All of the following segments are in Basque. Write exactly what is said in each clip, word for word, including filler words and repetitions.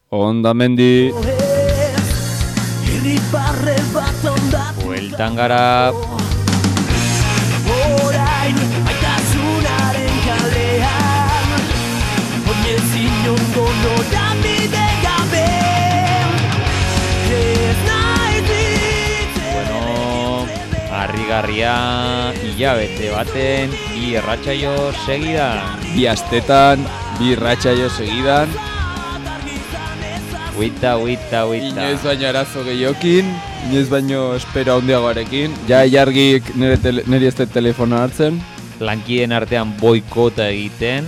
Ondamendi. Bueltan gara. Orain aitasunaren kalean Oinezin ondo norabide gabe Ez naiz Bueno, harrigarria hilabete baten bi erratsaio segidan. Bi astetan, bi irratsaio segidan. Huita, huita, huita. Inoiz baino arazo gehiokin, inoiz baino espero handiagoarekin. Ja jargik nire, tele, nire ez telefono hartzen. Lankiden artean boikota egiten.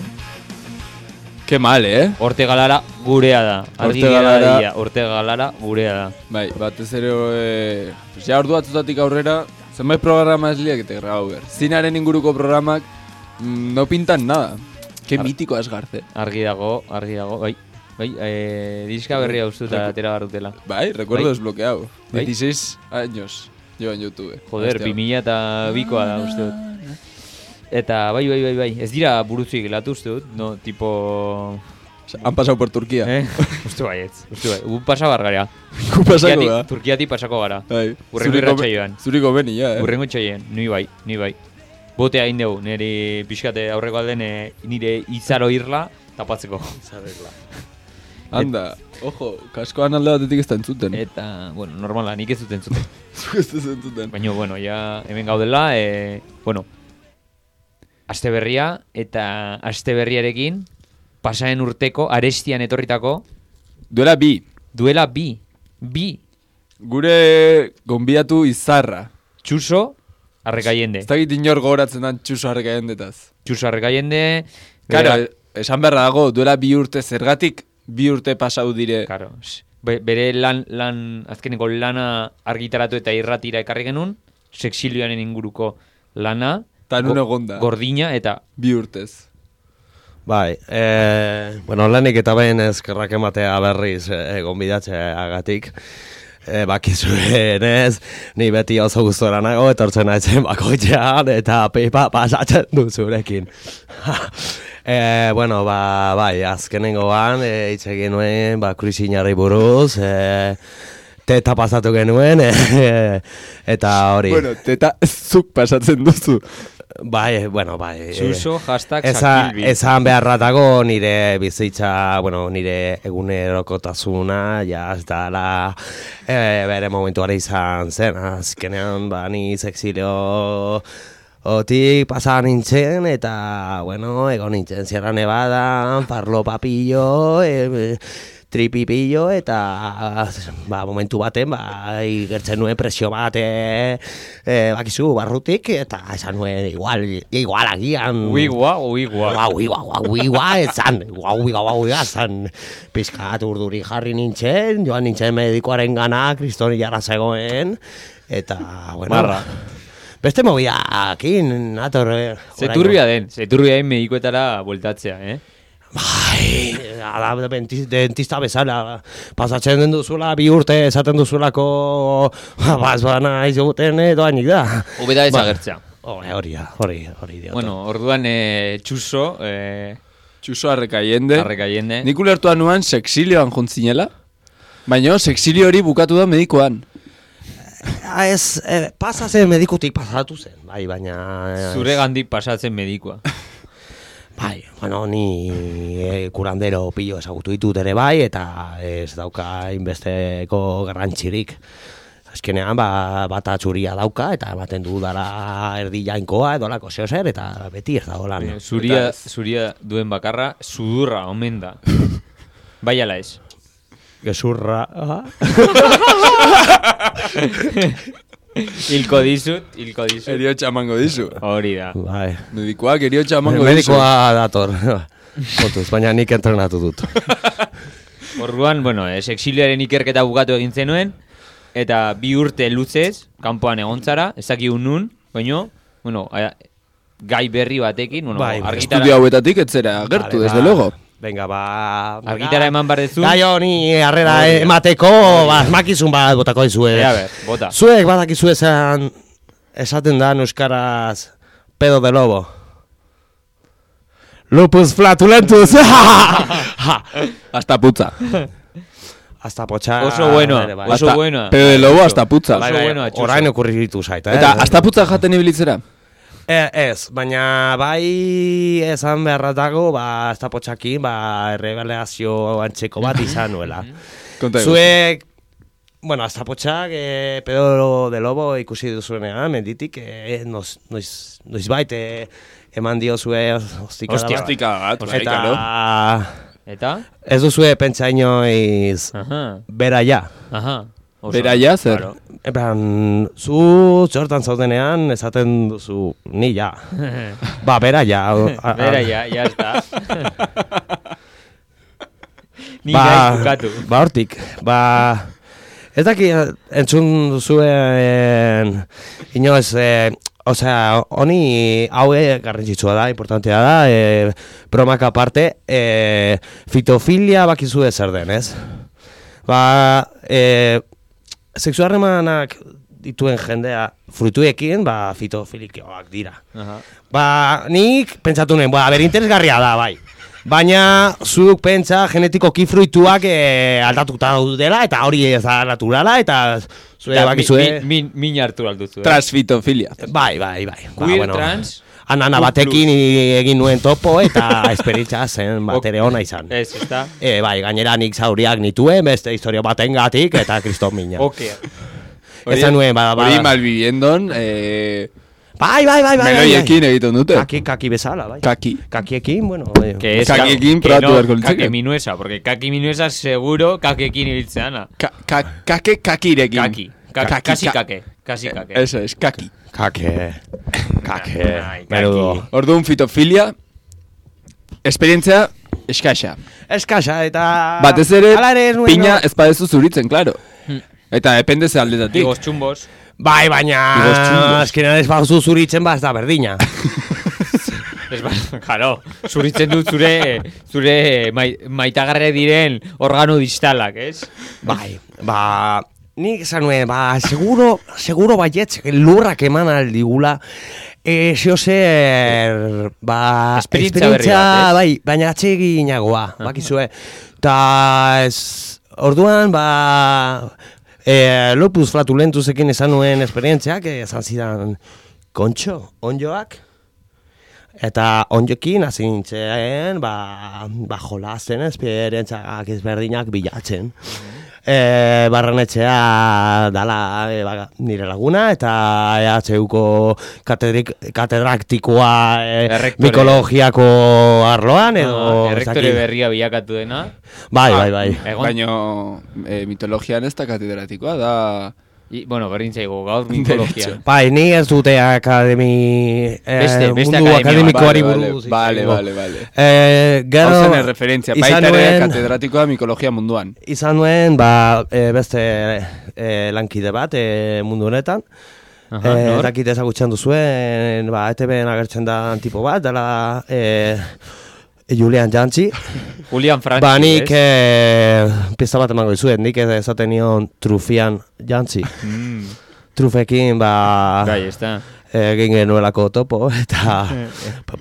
Ke mal, eh? Orte galara gurea da. Argi Orte gera Galara- dia, Orte galara gurea da. Bai, batez ere, e, pues ja ordu batzutatik aurrera, zenbait programa esliak eta grabau behar. Zinaren inguruko programak mm, no pintan nada. Ke Ar- mitiko asgarze. Argi dago, argi dago. Bai, bai, eh, diska berria ustuta atera barutela. Bai, recuerdo Bai. desbloqueado. Bai. dieciséis años llevo en YouTube. Joder, Hostia. bi mila eta bikoa da uste dut. Eta bai, bai, bai, bai, ez dira buruzik gelatu uste dut, no, tipo... Han pasado por Turquía. Eh? Uste baietz, uste bai, gu pasa bargara. Ku pasako Turkiati- da. Turkiati pasako gara. Bai. Urrengo Zuriko- irratsaioan. Zuriko beni, ja, eh? Urrengo txaien, ni bai, ni bai. Botea egin dugu, nire pixkate aurreko alden eh, nire izaro irla tapatzeko. Anda, ojo, kaskoan alde batetik ez da entzuten. Eta, bueno, normala, nik ez duten zuten. Zuk ez da entzuten. Baina, bueno, ja hemen gaudela, e, bueno, aste berria eta aste berriarekin pasaren urteko arestian etorritako Duela bi. duela bi, bi, Gure gonbidatu izarra. Txuso Arrekaiende. Ez dakit inor gogoratzen dan txuso harrekaendetaz. Txuso Arrekaiende. Karo, bera- esan beharra dago, duela bi urte zergatik, bi urte pasau dire. Claro, s- be- bere lan, lan, azkeneko lana argitaratu eta irratira ekarri genuen, sexilioaren inguruko lana, Ta nun go- egonda. gordina eta Bi urtez. Bai, e, bueno, lanik eta behin eskerrak ematea berriz e, gonbidatzeagatik. E, bakizuen ez, ni beti oso gustora nago, etortzen naizen bakoitzean eta pipa pasatzen du zurekin. e, bueno, ba, bai, azkenengoan, e, hitz egin nuen, ba, krisinari buruz, e, teta pasatu genuen, e, eta hori. Bueno, teta zuk pasatzen duzu. Bai, bueno, bai. Txuso hashtag Eza, sakilbi. ezan beharratago nire bizitza, bueno, nire egunerokotasuna, ja, ez dala e, bere momentuare izan zen, azkenean, ba, ni sexilio otik pasa nintzen, eta, bueno, egon nintzen Sierra Nevada, Parlo Papillo, e, tripipillo, eta, ba, momentu baten, ba, igertzen nuen presio bat, e, e, bakizu, barrutik, eta esan nuen, igual, igual agian... Uigua, uigua. Uigua, uigua, uigua, esan, uigua, uigua, uigua, esan, pizkat urduri jarri nintzen, joan nintzen medikoaren gana, kristoni jarra zegoen, eta, bueno... Marra. Beste mobiakin, nator... eh, Zeturbia den, zeturbia den medikoetara bueltatzea, eh? Bai, ala, denti- dentista bezala, pasatzen den duzula, bi urte esaten duzulako, baz bana izuguten doainik da. Hobeda Ba, desagertzea. Hori, hori, hori, hori diote. Bueno, orduan eh, Txuso, eh, Txuso harrekaiende. Arrekaiende. Nik ulertuan nuan sexilioan jontzinela. Baina sexilio hori bukatu da medikoan. Ah, ez, eh, pasa zen medikutik pasatu zen, bai, baina... eh, Zure gandik pasatzen medikoa. Bai, bueno, ni eh, kurandero pillo ezagutu ditut ere bai, eta ez dauka inbesteko garrantzirik. Azkenean, ba, bata txuria dauka, eta ematen du dara erdi jainkoa, edo lako zeo zer, eta beti ez dago lan. Eh, Zuria, zuria duen bakarra, sudurra omen da. Bai ala ez. Gezurra... ah. Hilko dizut, hilko dizut. Eriotxa emango dizu. Hori da. Bai. Medikoak eriotxa emango dizu. Medikoa dator. Kontuz, baina nik entrenatu dut. Orduan, bueno, eh, sexilioaren ikerketa bukatu egin zenuen, eta bi urte luzez, kanpoan egontzara, ezakigun nun, baino, bueno, a, gai berri batekin, bueno, Bai, argitara, Estudio hauetatik etzera agertu, Vale, desde ba. luego. Venga, ba... argitara eman barrezu. Gai honi harrera Hori da. emateko, ba, asmakizun bat botako dizue. A ber, bota. Zuek badakizu esan, esaten da euskaraz pedo de lobo. Lupus flatulentus. Ha! Hasta putza. Hasta potxa... Oso buenoa, ere bai. oso Hasta- buenoa. Pero de lobo hasta putza. Bai, oso bai, buenoa, txuso. orain okurritu zait, eh? Eta hasta putza jaten ibilitzera? E, ez, baina bai esan beharratago, ba, hasta potxakin, ba, erregalazio antzeko bat izan nuela. Konta egu. Zuek, bueno, hasta potxak, eh, Pedro de Lobo ikusi duzuenean, menditik, eh, noiz, noiz, noiz bait, eh, eman dio zue ostikada Ostia, bat. Ostika bat, bai, Eta claro. Eta? ez duzue pentsa inoiz Aha, bera ja. aha. Oso. Bera ja, zer? Claro. Epan, zu txortan zaudenean esaten duzu, ni ja. Ba, bera ja. a- a- Bera, ya, ya está. Ni ba, gai bukatu. ba, hortik, ba, ez daki entzun duzuen inoz, eh, osea, honi haue garrantzitsua da, importantea da, eh, bromak aparte, eh, fitofilia bakizue zer den, ez? Ba, eh, sexu harremanak dituen jendea fruituekin, ba, fitofilikoak dira. Aha. Ba, nik pentsatu nuen, ba, ber interesgarria da, bai. Baina, zuk pentsa genetikoki fruituak e, aldatuta daudela, eta hori ez da naturala, eta zure Da, bakizue... mi- mi- Min hartu alduzu, eh? Transfitofilia. Bai, bai, bai. Ba, Queer, trans, Anana Q batekin i- egin nuen topo, eta esperientza zen bat Ok. ere ona izan. ez, ez da? E, bai, gainera nik zauriak nituen, beste historia batengatik, eta kriston mina. Ok. Esan nuen, ba, ba, Hori malviviendon, eh, bai, bai, bai, bai, bai, meloiekin egiten dute. Kaki, kaki bezala, bai. Kaki. Kakiekin, bueno, Que es Kakiekin que probatu no, beharko litzake. kake minuesa, porque kaki minuesa seguro kakekin ibiltzeana. Ka, ka, kake kakirekin. Kaki. Ka- Kaki, Kasi ka- kake. Kasi kake. Eso es, kaki. Kake, kake, Ai, menudo. Orduan fitofilia, esperientzia eskaxa. Eskasa, eta... Batez ere, Hala ez nuen, pina no? ez badezu zuritzen, claro. Eta depende ze aldetatik. Digos txumbos. Bai, baina... Igos txungos. Azkenean ez baduzu zuritzen, ba, ez da berdina. Ez ba, claro, zuritzen dut zure, zure mai, maitagarre diren organo distalak, ez? Bai, ba... Nik esan nuen, ba, seguro, seguro baietz, lurrak eman aldigula, e, zeo zer, ba, Esperientzia berri bat, ez? bai, baina atseginagoa, bakizue. Ta, ez, orduan, ba, e, lupus flatulentusekin esan nuen esperientziak, esan zidan, kontxo, onjoak, eta onjokin hasi nintzen, ba, ba jolasten esperientziak ezberdinak bilatzen. E, barrenetxea dala e, ba, nire laguna, eta E H Uko katedrik, katedraktikoa e, Errektore. mikologiako arloan, edo... Ah, ez errektore dakit. berria bilakatu dena. Bai, bai, bai. Egon, Baina eh, mitologian ez da katedratikoa, da... I, bueno, berdin zaigu, gaur mikologia. Bai, ni ez dute akademi... Eh, Beste- beste mundu akademia akademikoari Vale, buruz. vale, izango. vale, vale. Eh, gero... Hau zen referentzia, izan baita ere nuen- katedratikoa mikologia munduan. Izan nuen, ba, e, beste e, lankide bat e, mundu honetan. Aha, e, nor? dakit ezagutzen duzuen, ba, E T B-en agertzen da tipo bat, dela e, Julian Jantzi. Julian Frantzi, Ba, nik ez? e, pista bat emango dizuet, nik ez esaten nion Trufian Jantzi. Mm, Trufekin, ba, bai, ez da. egin genuelako topo, eta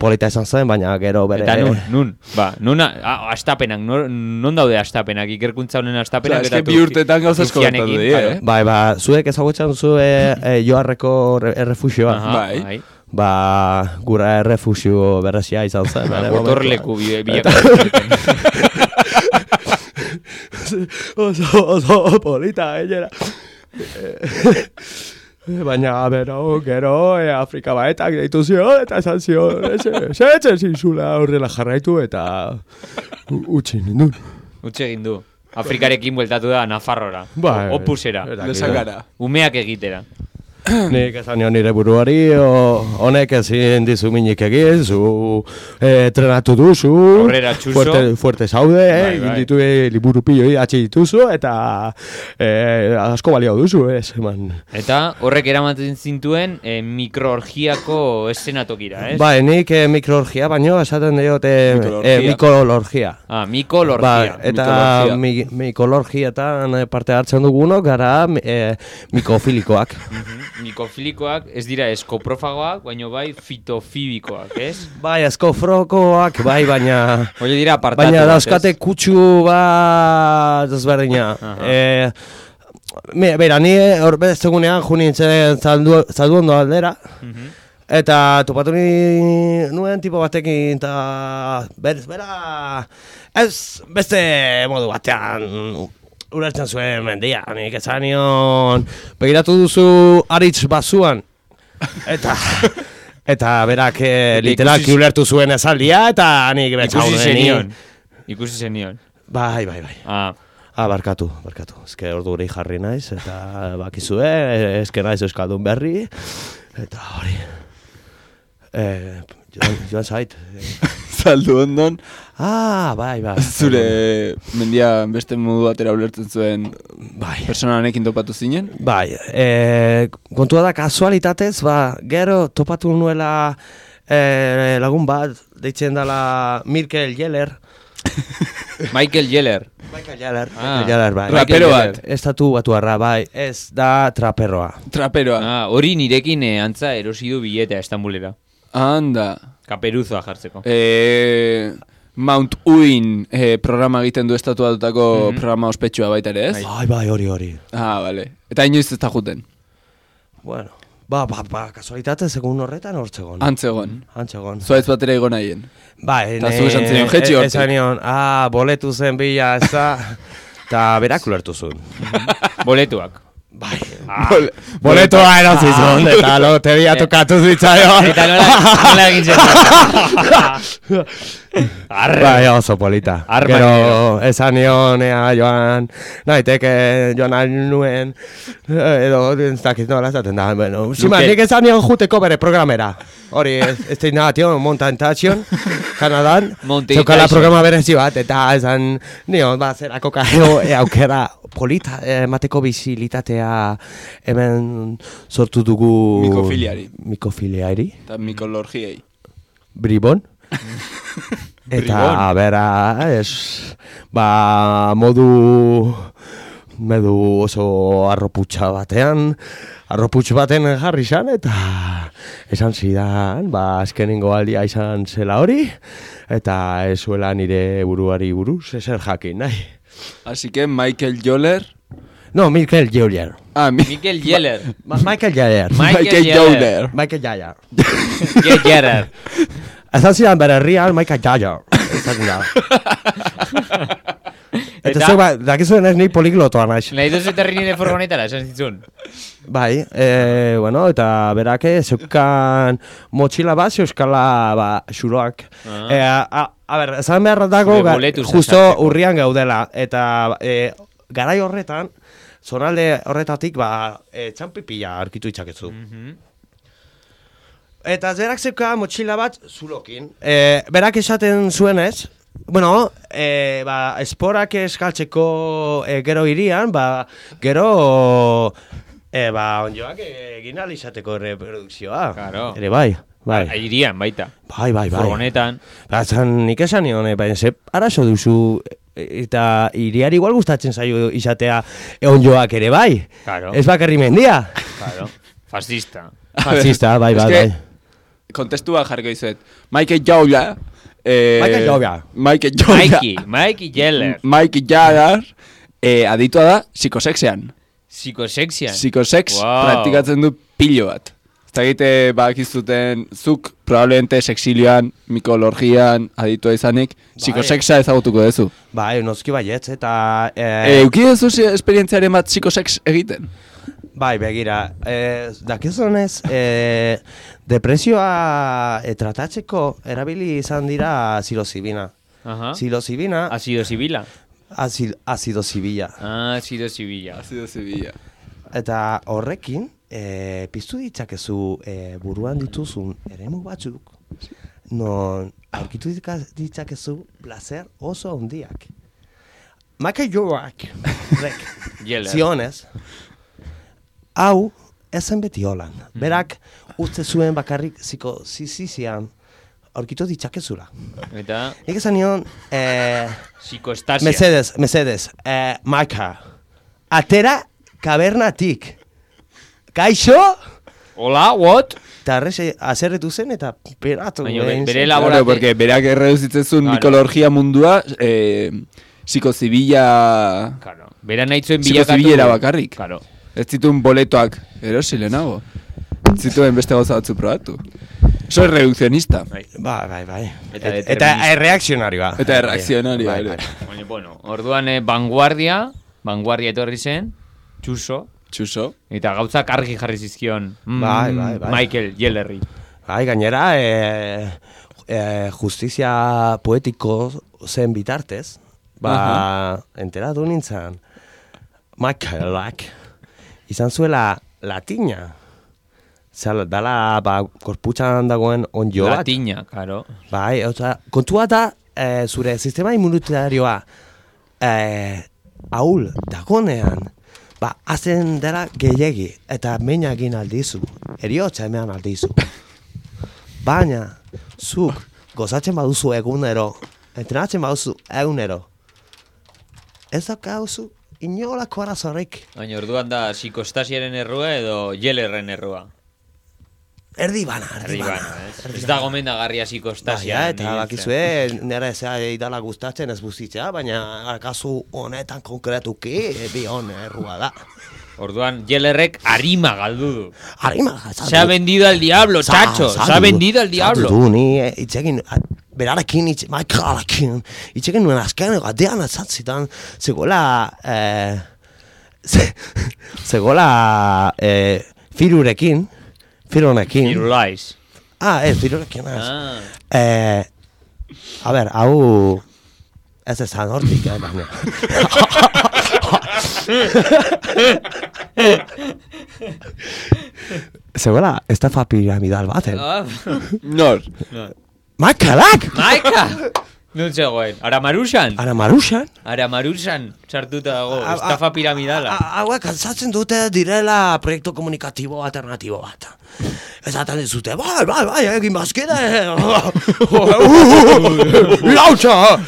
polita esan zen, baina gero bere... Eta nun, nun, ba, nun, a- astapenak, nor- non daude astapenak, ikerkuntza honen astapenak. Osea, eske bi urtetan gauza asko gertatu Trufianekin, dira, claro. eh? Bai, ba, zuek ezagutzen duzu e, e, Joarreko re- errefusioa. Aha, Bai. bai. Ba, gura errefusio berresia izan zen. bere momentuan. Gotorleku bi- bilakatu zuten. oso, oso polita, gainera. Baina, bero, gero, e, Afrika baetak deitu zion, eta esan zion, esetzen zinzula horrela jarraitu, eta u- utzi nindun. Utxe egin du. Afrikarekin bueltatu da Nafarrora. Bai, O- Opusera. era- Lesakara. Umeak egitera. Nik esan nion nire buruari, o, honek ezin dizu minik egin, zu eh, trenatu duzu, Aurrera txuso. fuerte, fuerte zaude, eh, Bai, egin bai. ditu eh, liburu pilo idatzi dituzu, eta eh, asko balio duzu, ez, eman. Eta horrek eramaten zintuen eh, mikroorgiako eszenatokira, ez? Bai, nik eh, mikroorgia, baino esaten diot eh, Mikolorgia. eh, mikolorgia. Ah, mikolorgia. Ba, eta Mitologia. mi, mikolorgiatan eh, parte hartzen dugunok gara eh, mikofilikoak. mikofilikoak ez dira eskoprofagoak, baina bai fitofibikoak, ez? Bai, eskofrokoak, bai, baina... Oie dira apartatu. Baina dauzkate kutsu bat ezberdina. Eh, me, Bera, ni hor bezegunean ju nintzen zaldu, zaldu ondo aldera. Eta topatu ni nuen tipo batekin, eta berez, bera, ez beste modu batean ulertzen zuen mendia, nik esan nion, begiratu duzu aritz bazuan, eta, eta berak eh, literalki ulertu zuen esaldia, eta nik betxau Ikusi zenion. Ikusi zenion. Bai, bai, bai. Ah, Ah, barkatu, barkatu. Ezke ordu hori jarri naiz, eta bakizue, ezke naiz euskaldun berri, eta hori. Eh, joan, joan zait. Zaldu ondon, Ah, bai, bai. zure mendia beste modu batera ulertzen zuen Bai. persona honekin topatu zinen? Bai, e, kontua da kasualitatez, ba, gero topatu nuela e, lagun bat, deitzen dela Michael Yeller. Michael Yeller. Michael Yeller, Ah. Michael Yeller, bai. Rapero bat. Estatu batuarra, bai, ez da traperroa. Traperoa. Ah, hori nirekin eh, antza erosi du biletea Estambulera. Anda. Kaperuzoa jartzeko. Eh, Mount Uin eh, programa egiten du estatu batutako Mhm. programa ospetsua baita ere, ez? Bai, bai, hori, hori. Ah, vale. Eta inoiz ez da juten. Bueno, ba, ba, ba, kasualitatez egun horretan hortzegon. Antzegon. Antzegon. Zuaitz batera igo nahien. Bai, Ta zu esan zenion, jetxi e- hortik. Esan nion, ah, boletu zen bila, ez da, eta berak ulertu zuen. Boletuak. Bai, Bol- boletoa erosi zuen, eta loteria tokatu zitzaion. Eta nola, nola egin zen. Bai, oso polita. Arma Gero, nero. esan nion, ea, joan, naiteke, joan al nuen, edo, ez dakit nola esaten da, bueno, zima, Luke. nik esan nion juteko bere programera. Hori, ez ez da tion, Montantation, Kanadan, Mountain zeukala Tyson. programa berezi bat, eta esan nion, ba, zerako kajeo, e, aukera, polita, emateko bizilitatea hemen sortu dugu... Mikofiliari. Mikofiliari. Eta mikolorgiei. Bribon. Eta, bera, es, ba, modu, modu oso arroputxa batean, arroputx baten jarri zan, eta esan zidan, ba, azkenengo aldia izan zela hori, eta ez zuela nire buruari buruz, ezer jakin, nahi. Así que Michael Joller. No, Michael Yeller. Ah, mi Michael Yeller. Ma Michael Yeller. Michael Michael Yeller. Joller. Michael Yeller. Ge- Yeller. Esan zidan bere herrian Michael Yeller. Esaten da. Eta Eta- zeu, ba, dakizuen ez ni poliglotoa naiz. Nahi duzu eterri nire furgonetara, esan zitzun. Bai, e, bueno, eta berake zeukan motxila bat, euskala, ba, xuroak. Ah. E, a, a, a ber, esan behar dago, Zure ga- boletuz justo sartzeko. urrian gaudela, eta e, garai horretan, zonalde horretatik, ba, e, txanpipila arkitu itxakezu. Eta zerak zeuka motxila bat zulokin. E, berak esaten zuenez, bueno, e, ba, esporak eskaltzeko e, gero irian, ba, gero, e, ba, onjoak egin alizateko reprodukzioa. Claro. Ere bai, bai. Airian, baita. Bai, bai, bai. Furgonetan. Ba, zan, nik esan nion, eh, baina ze arazo duzu, e, eta iriari igual gustatzen zaio izatea onjoak ere bai. Claro. Ez bakarri mendia. Claro. Fascista. Fascista, bai, Es bai, que- bai. Kontestua jarriko izuet. Michael Joller. Eh, Michael Joller. Michael Joller. Mikey. Mikey Yeller. Michael Joller. Eh, aditua da psikosexean. Psikosexian. Psikosex Wow. praktikatzen du pilo bat. Ez egite bakizuten zuk probablemente sexilioan, mikolorgian, aditua izanik, psikosexa ezagutuko duzu. Bai, noski baietz, eta... Eh, Euki duzu esperientziaren bat psikosex egiten? Bai, begira, eh, dakizunez, eh, depresioa eh, tratatzeko erabili izan dira psilozibina. Ajá. Psilozibina, Azido zibila. azil, azido zibila. Ah, azido zibila. Azido zibila. Eta horrekin, eh, piztu ditzakezu eh, buruan dituzun eremu batzuk, non aurkitu ditka- ditzakezu placer oso handiak. Michael Jorak, rek, Yeller. zionez, hau ezen beti holan. Berak uste zuen bakarrik ziko zizizian aurkitu ditzakezula. Eta Nik esan nion, eh, psikoestasia. Mesedes, Mesedes, eh, Maika, atera kabernatik. kaixo? Hola, what? Eta arrese azerretu zen eta peratu. Baina egin bere zen. laborate... Claro, porque berak erreduzitzen Claro. mikología mundua, eh, psikozibila... Claro. Bera nahi zuen bilakatu... Psikozibilera bakarrik. Claro. Ez zituen boletoak erosi lehenago. Ez zituen beste gauza batzu probatu. Eso es reduccionista. Bai. Bai, bai, bai. Eta Eta, determinista. eta reakzionarioa. Eta erreakzionarioa Bai, ere. bai. Baina, bueno, orduan eh, vanguardia, vanguardia etorri zen, txuso, Txuso. eta gauzak argi jarri zizkion mm, Bai, bai, bai. Michael Jellerri. Bai, gainera, e, e, justizia poetiko zen bitartez, ba, enteratu nintzen, Michaelak izan zuela latina. Zer, dala, ba, korputxan dagoen onjo bat. Latina, karo. Bai, oza, kontua da, e, zure sistema immunitarioa e, ahul dagonean, ba, hazen dela gehiegi, eta meina egin aldizu, eriotza emean aldizu. Baina, zuk gozatzen baduzu egunero, entrenatzen baduzu egunero, ez daukauzu inolako arazorrik. Baina orduan da psikostasiaren errua edo Jellerren errua. Erdi bana, erdi Erdi bana. bana, ez? Ez da gomendagarria psikostasia. Baina, eta bakizue, nire zea idala gustatzen ez buzitzea, baina kasu honetan konkretuki, bi hon errua da. Orduan, Jellerrek arima galdu du. Arima, Se ha vendido al diablo, chacho. Se ha vendido al diablo. Du, ni eh, itxegin, a- berarekin, itxe, Michaelakin, itxegin nuen azken gatean azatzitan, zegoela, eh, ze, zegoela, eh, firurekin, fironekin. Firulais. Ah, ez, firurekin, ez. Ah. Eh, a ber, hau, ez ezan hortik, eh, baina. Zegoela, estafa piramidal baten. Ah. Nor. Michaelak! Maika! Nun zegoen? Aramarusan? Aramarusan? Aramarusan sartuta dago, A- a- estafa piramidala. A- Hauek altzatzen dute direla proiektu komunikatibo alternatibo bat. Ezaten dizute, bai, bai, bai, egin bazkide. Lautza!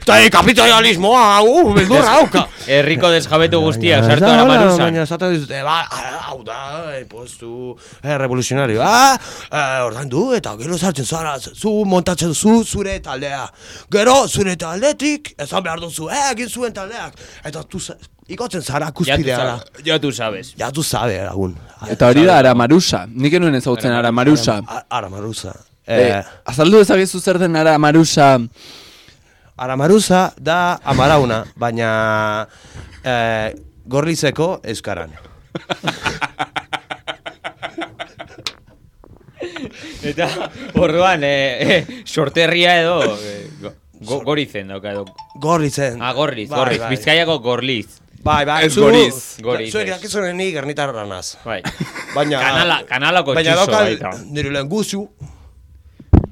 Eta kapitalismoa, uh, beldurra hauka. Herriko desjabetu guztiak Baina, sartu ez da, Aramarusan. Baina esaten dizute, ba, hau da, eh, postu eh, revoluzionarioa, eh, ordaindu, eta gero sartzen zara, zu montatzen zu zure taldea. Gero, zure taldetik, esan behar duzu, eh, egin zuen taldeak. Eta tu, za- ikotzen zara Ya tu kuspideara. sabes. Ya tu sabes. Ja, tu sabe, lagun. Eta hori da Aramarusa. Nik enuen ezagutzen Aramarusa. A- Aramarusa. Eh, Eh, azaldu ezagizu zer den Aramarusa. Aramarusa da amarauna, baina eh, gorlizeko euskaran. Eta orduan, eh, eh, sorterria edo eh, go, go, gorizen dauka edo. Gorlizen. Ah, gorliz, Bai, gorliz. bai. Bizkaiako gorliz. Bai, bai. Ez goriz. Goriz, Zuek ez. dakizunen ni gernitarra naz. Bai. Baina... Kanala, kanalako Baina txuso daukal baita. nire lehen guzu,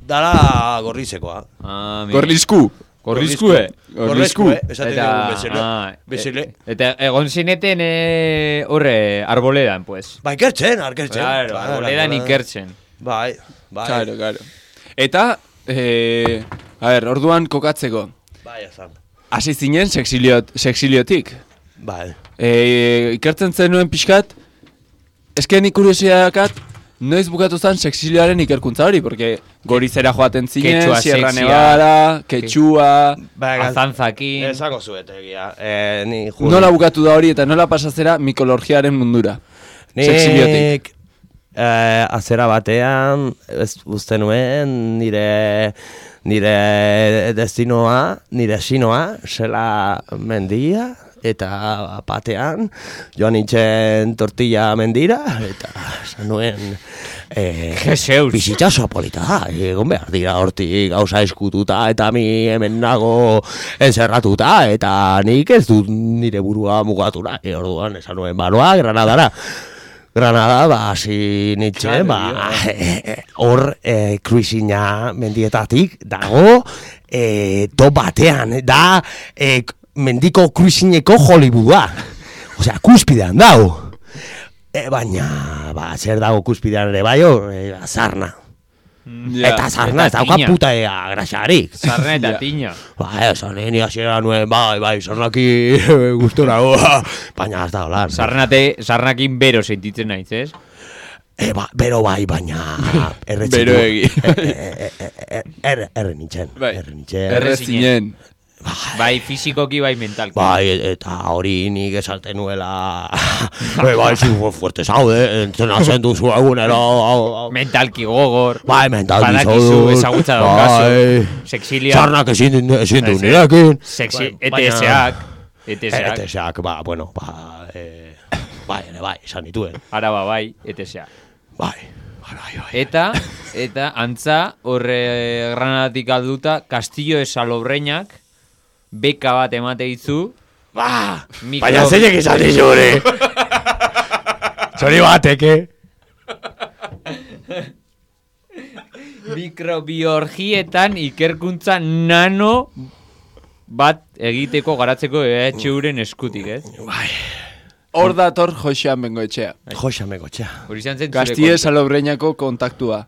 dala gorlizekoa. Ah, mira. Gorlizku. Gorlizkue. Gorlizku. eh? Esaten dugu bezele. ah, Bezele. e- eta egon zineten eh, horre, arboledan, pues. Bai, ikertzen, arkertzen. Claro, Bai, arboledan arboledan. ikertzen. Bai, bai. Claro, claro. Eta, eh, a ver, orduan kokatzeko. Bai, esan. Hasi zinen sexiliot, sexiliotik. Bai. Eh, ikertzen zenuen pixkat, esken ikuriosidadakat, noiz bukatu zen sexilioaren ikerkuntza hori, porque gorizera joaten zinen, Quechua Sierra sexia. Nevada, Quechua... Bai, Azantzakin. Ezako zuetegia. Eh, ni juro. Nola bukatu da hori eta nola pasazera mikologiaren mundura. Sexiliotik. Nik eh, azera batean, ez uste nuen, nire, nire destinoa, nire sinoa, zela mendia, eta batean, joan nintzen tortilla mendira, eta esan nuen, eh, Jeseus. bizitza polita da, egon behar dira hortik gauza eskututa, eta mi hemen nago encerratuta, eta nik ez dut nire burua mugatu nahi, orduan esan nuen, banoa, Granadara. Granada, ba, hasi nintzen, ba, hor, e, kruizina mendietatik dago, e, to batean, da, e, mendiko kruizineko Hollywooda. Osea, kuspidean dago. E, baina, ba, zer dago kuspidean ere bai, hor, e, azarna. Ja. Eta sarna ez Eta dauka tina. puta ea graxarik. Sarna eta Ja. tina. Ba, esan ni hasiera nuen, bai, bai, sarnaki gustora goa. Baina ez da hola. Sarnate, sarnakin bero sentitzen naiz, ez? E, ba, bero bai, baina erretxe Bero du. egi. E, e, e, Erre erre nintzen. Bai. Erre nintzen. Erre zinen. Bai fizikoki, bai mentalki. Bai, eta hori nik esaten nuela. Bai, bai, zu fuerte zaude, entrenatzen duzu egunero. hau, hau. Mentalki gogor. Bai, mentalki Badakizu zaudut. ezagutza daukazu. Bai. Sexilia. Sarnak ezin ezin du Bai, nirekin. Sexi, Bai, baina- E T S-ak. E T S-ak. E T S-ak, ba, bueno, ba, eh, bai, ere bai, esan dituen. Araba bai, E T S-ak. Bai, bai, bai, bai. Eta, eta, antza, horre Granadatik alduta, Castillo de Salobreinak beka bat emate dizu. Ba, Mikro- baina zeinek izan dizure. Zori bateke. Mikrobiologietan ikerkuntza nano bat egiteko garatzeko E H U-ren eskutik, ez? Bai, Hor dator Josean Bengoetxea. joxa megotxea. Hori izan zen zure Kastie kontu. Salobreñako kontaktua.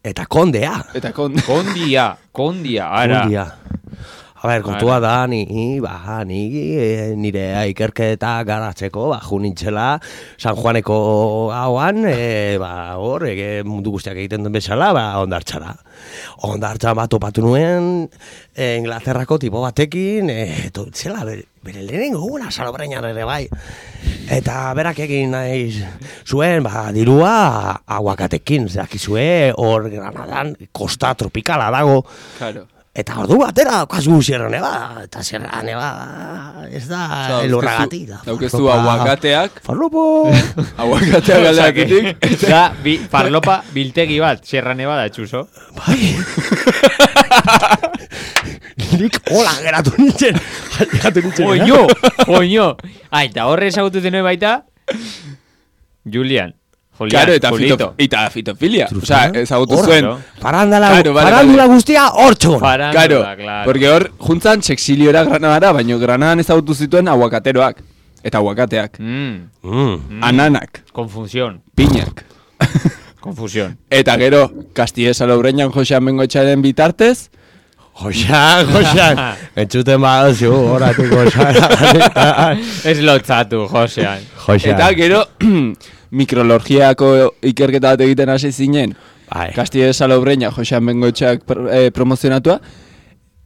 Eta kondea. Eta kon... Kondia, kondia, ara. Kondia. A ber, kontua da, ni, ba, ni e, nire ikerketa garatzeko, ba, ju nintzela San Juaneko gauan, e, ba, hor, e, mundu guztiak egiten duen bezala, ba, ondartxara. Ondartxan bat topatu nuen, e, Inglaterrako tipo batekin, e, to, zela, bere, bere lehenengo guna Salobreinan ere bai. Eta berak egin nahi zuen, ba, dirua aguakatekin, zakizue, hor Granadan, kosta tropikala dago. Claro. Eta ordu batera daukazu Sierra Nevada, eta Sierra Nevada ez da elurragatik da. Daukezu aguakateak, Farlopo! aguakateak galdeakitik. Da, bi, farlopa biltegi bat, Sierra Nevada, txuso. Bai! Nik hola geratu nintzen, geratu nintzen. Oño, oño. Ah, eta horre ezagutu zenuen baita, Julian. Julian, Claro, eta, Julito. fito, eta fitofilia. Trufia? Osea, ezagutu Hor, zuen. no? Parandala, Claro, vale, parandula vale. guztia hortxon. Farandula, Claro, claro. porque hor, juntzan sexiliora Granadara, baina Granadan ezagutu zituen aguakateroak. Eta aguakateak. Mm, Mm. Ananak, confusión, piñak. confusión. Eta gero, Kastie Salobreñan Josean Bengoetxearen bitartez, Joxan, Joxan, entzuten badozu, horatik Joxan. Ez lotzatu, Josean. Joxan. eta gero, mikrologiako ikerketa bat egiten hasi zinen, Bai. Kastie Salobreña Josean Bengoetxeak pr- eh, promozionatua,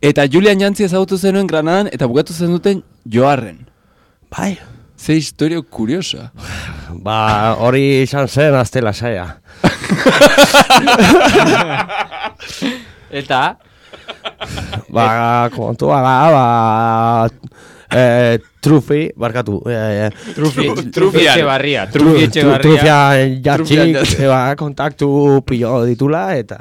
eta Julian Jantzi ezagutu zenuen Granadan, eta bukatu zen duten Joarren. Bai. Ze historio kuriosa. Ba, hori izan zen azte lasaia. Eta, Ba, kontua da, ba... Eh, trufi, barkatu. Eh, Trufi, Tru- Trufi Trufian. Etxebarria, tru, Trufi tru, Etxebarria. trufia Trufian jatxik, jatxik. eh, ba, kontaktu pilo ditula, eta...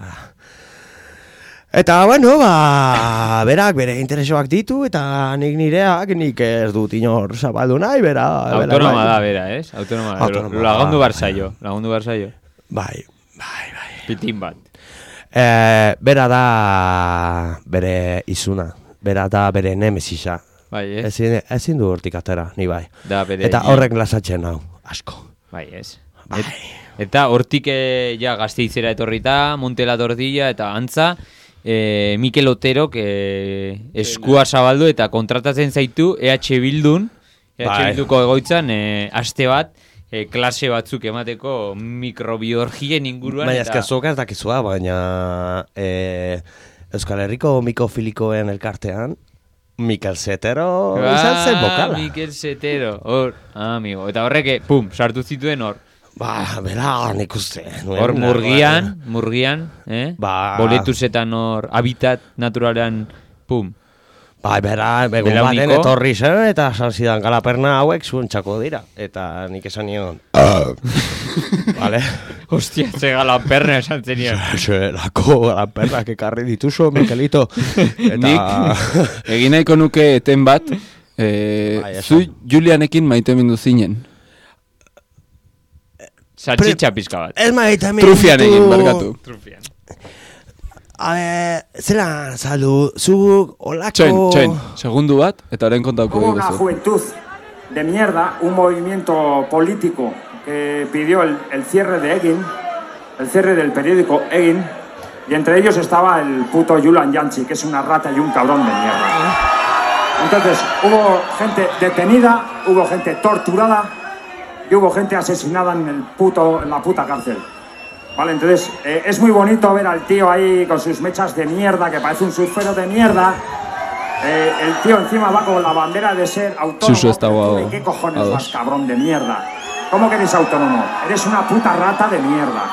Eta, bueno, ba, berak bere interesoak ditu, eta nik nireak, nik ez dut inor zabaldu nahi, bera... bera Autonoma bai. da, bera, ez? Autonoma da. Autonoma Lagundu da, barzaio, lagundu barzaio. Bai, bai, bai. Pitin bat. Eh, bera da bere izuna, bera da bere nemesisa. Bai, ez? Ezin, ezin du hortik atera, ni bai. Da, bere... Eta horrek lasatzen hau, asko. Bai, ez. Bai. Et- eta hortik eh, ja Gasteizera etorrita, Montela Tordilla eta antza, eh, Mikel Oterok eh, eskua zabaldu eta kontratatzen zaitu E H Bildun, E H Bai. Bilduko egoitzan, eh, aste bat, eh, klase batzuk emateko mikrobiologien inguruan. Baina eta... ezka zuk ez dakizua, baina eh, Euskal Herriko mikofilikoen elkartean, Mikel Zetero izan zen bokala. Ah, Mikel Zetero, hor, ah, amigo. Eta horrek, eh, pum, sartu zituen hor. Ba, bera, nik uste. nuen Hor narroa, murgian, murgian, eh? Ba- Boletusetan hor, habitat naturalean, pum. Ba, bera, egun Belauniko. baten etorri zen, eta esan zidan galaperna hauek zuentzako dira. Eta nik esan nion. Vale? Hostia, ze galaperna esan zenion. Zelako galapernak ekarri dituzu, Mikelito. Eta... Nik egin nahiko nuke eten bat, eh, Bai, esan. zu Julianekin maite mindu zinen. Salchicha pizka bat. Ez maita mintu... Trufian egin, barkatu. Trufian. A ver, zela saldu, zu olako... Txoin, txoin, segundu bat, eta orain kontauko Hubo una diguzu. juventud de mierda, un movimiento político que pidió el, el cierre de Egin, el cierre del periódico Egin, Y entre ellos estaba el puto Julian Yanchi, que es una rata y un cabrón de mierda. Entonces, hubo gente detenida, hubo gente torturada y hubo gente asesinada en, el puto, en la puta cárcel. Vale, entonces, eh, es muy bonito ver al tío ahí con sus mechas de mierda, que parece un surfero de mierda. Eh, el tío encima va con la bandera de ser autónomo. Suso está guau. ¿De qué cojones A dos. vas, cabrón de mierda? ¿Cómo que eres autónomo? Eres una puta rata de mierda.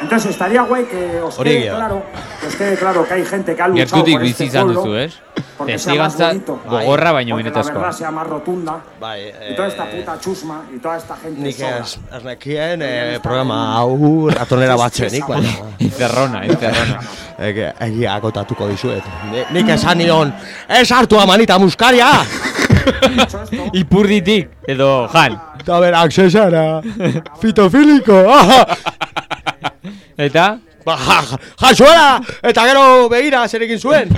Entonces estaría guay que os quede Origia. claro, que os quede claro que hay gente que ha luchado Gertutik por este bizi izan pueblo duzu, ez? porque sea más Testigantza bonito, gogorra baino porque la benetazkoa. verdad sea más rotunda Bai, y toda esta puta chusma y toda esta gente Nik sola. ez, ez nekien eh, programa hau ratonera batzenik, baina Encerrona, encerrona. ege- egia kotatuko dizuet. Ni- Nik esan nion, ez hartu amanita muskaria! Dicho esto, Ipurditik, edo jan. Eta berak zesara, fitofiliko! Eta? Ba, ja- jasoela! Eta gero begira zer egin zuen!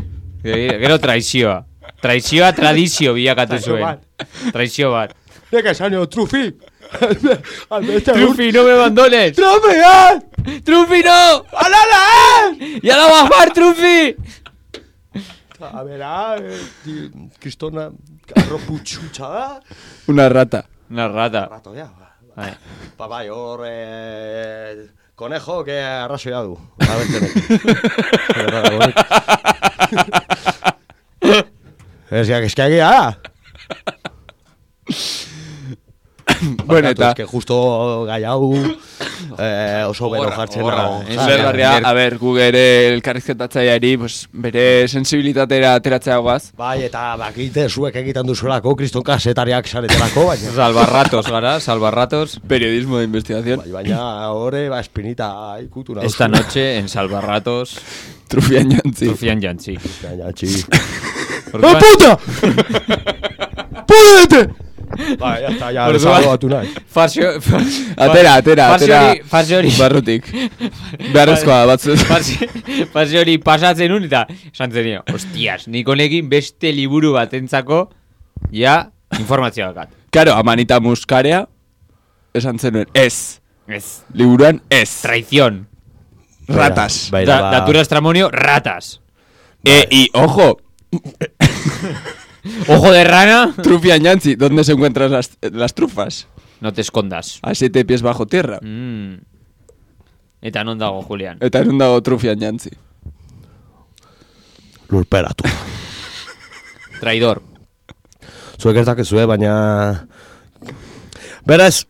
Gero traizioa. Traizioa tradizio bilakatu Traizio zuen. bat. Traizio bat. Nik esan nion, trufi! Albeste Trufi, no me abandones. Trufian! Trufi, no. Alala, eh! Ya la bajar, Trufi. A bera, eh, di- kristona, arroputxutxa da. Una rata. Una rata. Rato, ja. Bai. Ba, bai, hor, eh, konejo, que arrazoia du. Abentenek. Ez ja, eskagia da. Bueno, eta... Ez que justo gai hau eh, oso bero Gogorra, jartzen gogorra. dago. Ez Zergarria, Ger- a ber, gu ere elkarrizketatzaileari, pues, bere sensibilitatera ateratzea guaz. Bai, eta bakite zuek egiten duzuelako, kriston kasetariak saretelako, baina... Salvarratos gara, salvarratos. Periodismo de investigación. Bai, baina horre, ba, espinita ikutu nahi. Esta noche en Salvarratos, Trufian jantzi. Trufian Jantzi. Baina, txi. Orduan- puta! Pudete! Ba, ya está, ya Orduan- desagobatu nahi. Farsio... Atera, atera, Farsi atera. hori- farsi hori- Barrutik. Beharrezkoa batzu. Farsi, farsi hori pasatzen nun eta esan zenio, hostias, nik honekin beste liburu batentzako ja informazioa dakat. Karo, amanita muskarea, esan zenuen, ez. Ez. Liburuan, ez. Traición. Ratas. Bai, Da, ba- Datura Estramonio, ratas. Eh, y, ojo, Ojo de rana. Trufian jantzi, ¿dónde se encuentran las, las trufas? No te escondas. A siete pies bajo tierra. Mm. Eta non dago, Julian? Eta erun dago Trufian jantzi. Lurperatu. Traidor. Zuek ez dakezue, baina... Beraz,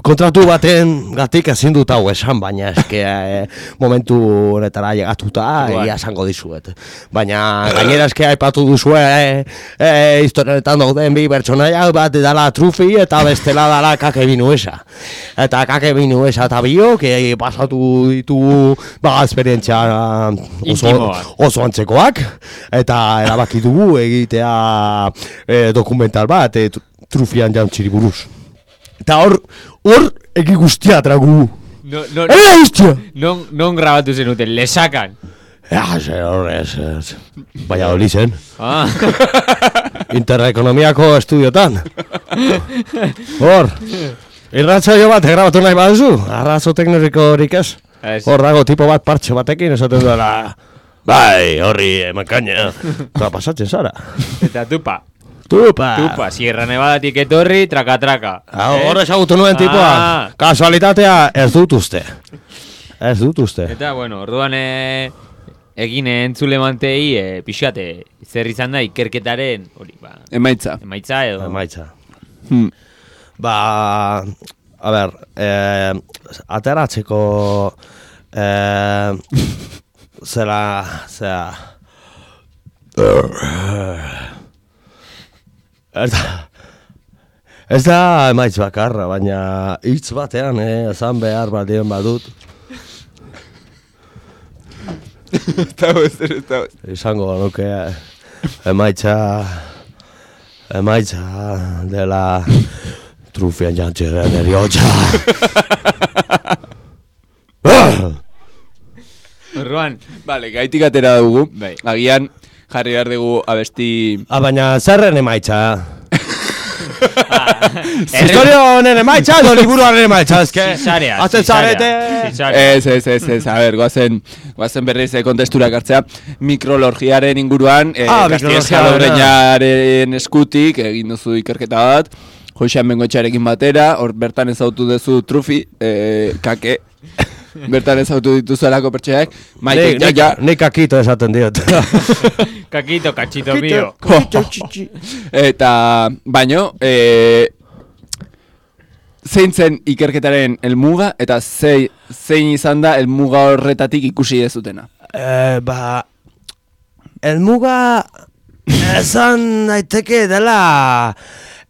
kontratu baten gatik ezin dut hau esan, baina eske eh, momentu honetara llegatuta Bai. ia esango dizuet. Baina gainera eske aipatu duzue eh, eh, historietan dauden bi pertsonaiak bat dala Trufi eta bestela dala Kake Binuesa. Eta Kake Binuesa eta biok eh, pasatu ditugu ba, esperientzia oso, Intimoak. oso antzekoak eta erabaki dugu egitea eh, dokumental bat eh, Trufian jantziri buruz. Eta hor, hor egi guztia tragu. No, no, Ega guztia! non, non grabatu zenuten, lesakan. Ja, ze horrez, ez. Baina hori zen. Ah. Interekonomiako estudiotan. Hor, irratzaio bat grabatu nahi baduzu, arrazo teknologikorik ez. Ez. Hor dago tipo bat partxe batekin esaten duela. Bai, horri emankaina. Eta pasatzen zara. Eta tupa. Tupa! Tupa, Sierra Nevadatik etorri, traka traka. Ah, hor ezagutu nuen tipoa. Ah. Kasualitatea ez dut uste. Ez dut uste. Eta, bueno, orduan e, egin entzule mantei e, pixate, zer izan da ikerketaren, hori, ba, Emaitza. emaitza edo... Emaitza. Hmm. Ba, a ber, eh, ateratzeko eh, zera, zera, ez da, ez da emaitz bakarra, baina hitz batean, eh, esan behar badien badut, Eta ez, eta ez. izango nuke emaitza, emaitza dela Trufian jantziren eriotza. Orduan, Vale, gaitik atera dugu. Bai. Agian jarri behar dugu abesti... Ah, baina zerren emaitza? Historio honen emaitza edo liburuaren emaitza, eske. Zizarea, Azten zizarea. zarete. Zizarea. Ez, ez, ez, ez, a ber, goazen, goazen berriz eh, kontesturak hartzea, mikrologiaren inguruan, eh, Ah, Gastiez mikrologia, Jadorreñaren eskutik, egin duzu ikerketa bat, Joxean Bengoetxearekin batera, hor bertan ezautu duzu trufi, eh, kake, bertan ezautu dituzuelako pertseak, Maite, ja, ja, Nik kakito esaten diot. Kakito, kachito mío. eta, baino, eh, zein zen ikerketaren helmuga eta zei, zein izan da helmuga horretatik ikusi dezutena? Eh, ba, elmuga esan daiteke dela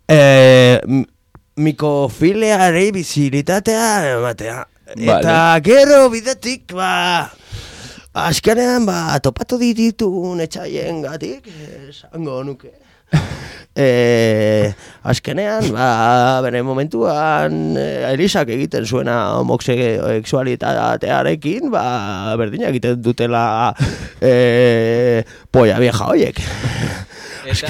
eh, m- mikofiliari bizilitatea ematea. Eta gero bidetik, ba, azkenean, ba, topatu dititun etxaien gatik, esango nuke. E, azkenean, ba, bere momentuan e, Elisak egiten zuena homoseksualitatearekin, ba, berdina egiten dutela e, polla vieja hoiek. Eta,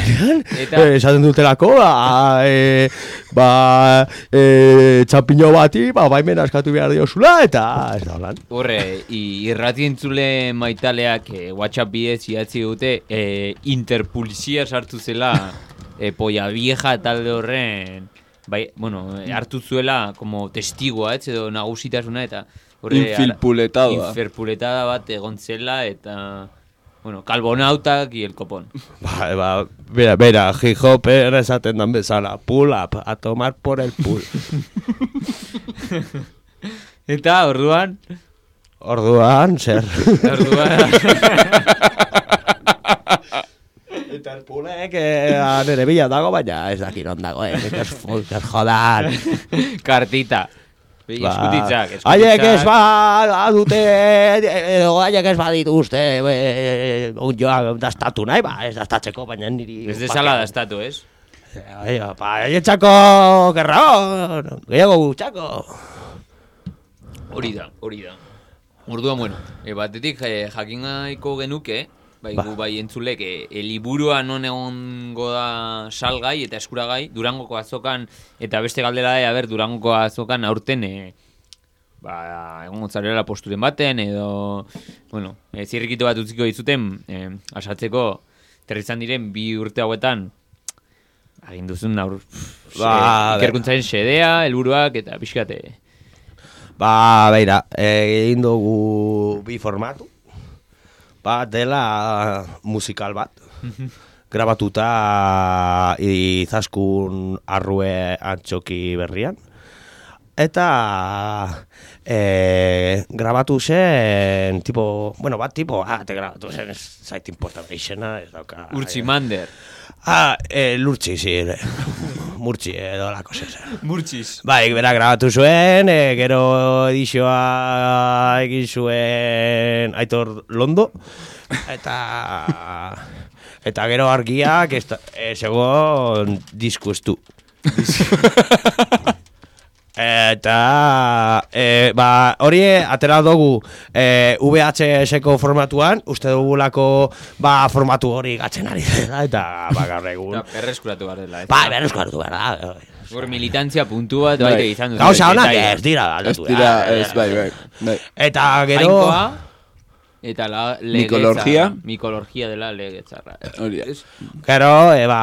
eta, Eh, esaten dutelako, ba, e, ba, e, txampiño bati, ba, baimen askatu behar diozula, eta ez da holan. horre, i- irrati entzule maitaleak eh, WhatsApp bidez idatzi dute eh, interpulizia sartu zela eh, polla vieja talde horren bai, bueno, eh, hartu zuela como testigoa, ez edo nagusitasuna eta horre Infilpuletada. Infilpuletada bat egon zela eta bueno, Calbonautak y el copón. Ba, ba, bera, bera, hip-hopper esaten dan bezala, pull up, a tomar por el pull. Eta orduan, Orduan, zer. orduan Eta el pullek eh, nere bila dago, baina ez dakit on dago, eh, ez ez jodan. kartita. Eskutitzak, eskutitzak. Haiek ez ba dute, edo haiek ez badituzte, e, joa dastatu nahi, ba, ez dastatzeko, baina niri... Ez desala dastatu, ez? Ai, ba, haietxako gerra, gehiago gutxako. Hori da, hori da. Orduan, bueno, e, batetik e, jakingaiko genuke, bai, Ba. gu bai entzulek, e, e, liburua non egongo da salgai eta eskuragai, Durangoko azokan, eta beste galdera da, ber, Durangoko azokan aurten, e, ba, egon gontzarela posturen baten, edo, bueno, e, zirrikito bat utziko dizuten, e, asatzeko, terrizan diren bi urte hauetan, egin duzun aur, Ba, e, ikerkuntzaren xedea, helburuak eta pixkate. Ba, beira, egin dugu bi formatu. Bat dela musikal bat. Grabatuta Izaskun Arrue Antxoki berrian. Eta e, grabatu zen, tipo, bueno, bat tipo, ah, te grabatu zen, ez zait importa izena, ez dauka. Urtsi Mander. Ah, e, lurtzi, sí, murtzi edo lako zen. Murtziz. Bai, bera grabatu zuen, e, gero edizioa egin zuen Aitor Londo, eta eta gero argiak ez e, zegoen disku estu. Eta e, ba, hori atera dugu e, V H S-ko formatuan, uste dugulako ba, formatu hori gatzen ari dela, eta ba, gaur egun. Eta berreskuratu behar dela. Ba, berreskuratu behar da. Hor militantzia puntu bat Bai. baita izan dut. Gauza honak ez dira Ez aldatu. dira, ez, bai, bai, bai. Eta gero... Jainkoa, eta la Mikolorgia. legetzarra. Mikolorgia dela legetzarra. Hori da. Gero, eba,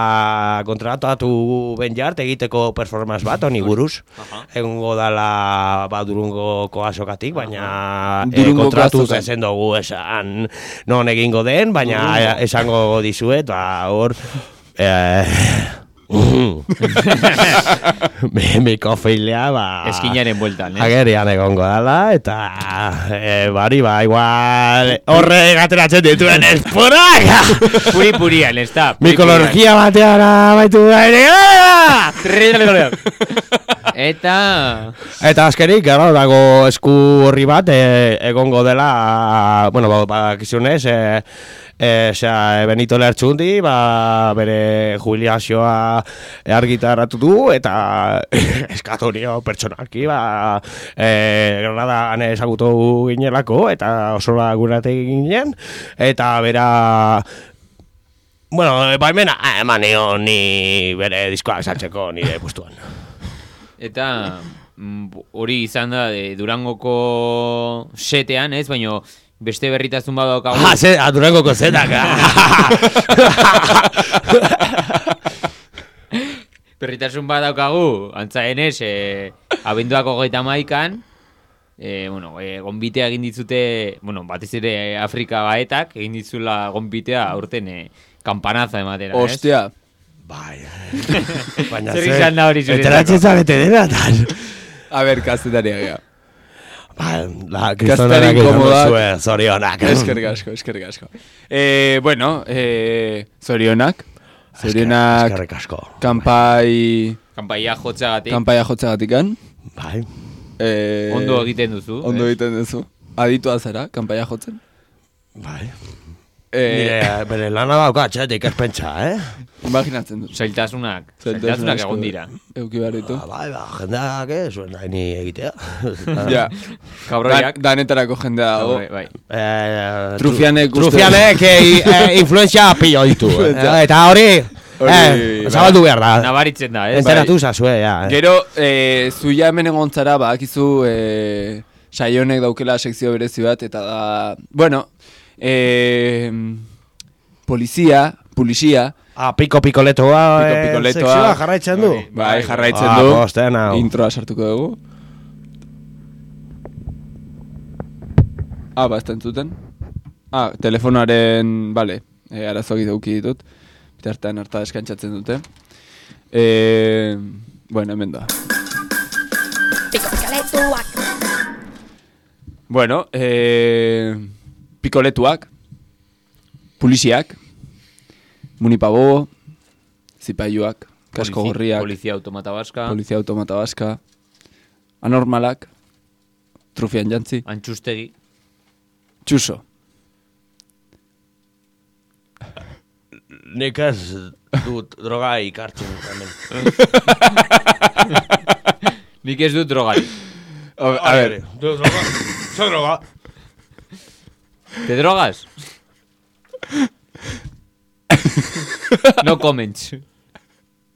kontratatu Ben Jart egiteko performance bat, honi buruz. Aha. Egongo dala, ba, Durungoko azokatik, baina e, Durungoko kontratuz azokan. ezen dugu esan non egingo den, baina Durungo. esango dizuet, ba, hor... Eh, Mikofilia, ba... Eskinaren bueltan, eh? Agerian egongo dala, eta e, bari ba, igual horre gateratzen dituen esporak! Puri-purian, ez da. Mikolorgia batean amaitu da ere! Eta... Eta azkenik, gero, dago esku horri bat, e, egongo dela, bueno, ba, bakizunez, e, e, sea, Benito Lertxundi, ba, bere jubilazioa argitaratu du, eta eskatorio pertsonalki, ba, e, Granadan ezagutu ginelako, eta oso gurate ginen, eta bera Bueno, baimena, eman nion ni bere diskoak saltzeko nire pustuan. Eta mm, hori izan da de Durangoko setean, ez? Baina beste berritasun bat daukagu. Ah, ze, a Durangoko zetak. Berritasun bat daukagu, antza denez, e, abenduako hogeita hamaikan, e, bueno, e, gonbitea egin ditzute, bueno, batez ere Afrika baetak, egin ditzula gonbitea aurten e, kampanaza ematera, ez? Ostia. Bai. Baina Zer izan da hori zuretzako? Enteratzen zabete denatan. A ber, kazetaria gea. Ba, la kristonarak izan inkomodak. duzue, zorionak. Eskerrik asko, eskerrik asko. Eh, bueno, eh, zorionak. Zorionak Eskerrik asko. kanpai, Kanpaia jotzagatik. kanpaia jotzagatikan. Bai. Eh, Ondo egiten duzu. Ondo ez? egiten duzu. Aditua zara, kanpaia jotzen. Bai. Eh, Nire, bere lana dauka atxetik ez pentsa, eh? imaginatzen dut. Zailtasunak. Zailtasun Zailtasunak asko egon dira. Euki behar ditu. Ba, bai, ba, jendeak, eh, zuen nahi ni egitea. Ja, Kabroiak. Dan, danetarako jendea dago. Bai, bai. Eh, Trufianek uste- Trufianek eh, eh, influentzia pillo ditu. eh, Eta hori, Hori, eh, zabaldu behar da. Nabaritzen da, ez? Enteratu zazue, ja. eh. Gero, eh, zuia hemen egontzara, badakizu eh, saionek daukela sekzio berezi bat, eta da, bueno, eh, polizia, polizia, Ah, piko pikoletoa, Piko eh, pikoletoa. sekzioa jarraitzen du. Bai. bai, jarraitzen Ah, du, posten hau. introa sartuko dugu. Ah, ba, ez da entzuten. Ah, telefonoaren, bale, eh, arazoak dauki ditut. Bitartean harta deskantzatzen dute. Eh, bueno, hemen da. Piko pikaletuak. Bueno, eh, pikoletuak, poliziak, munipabobo, zipaiuak, kasko Polizi- gorriak, Polizia automata baska. polizia automata baska, anormalak, trufian jantzi, Antxustegi. txuso. Nik ez dut droga ikartzen hemen. Nik ez dut drogari. A, a ver, Du droga, zer droga? ¿Te drogas? No comments.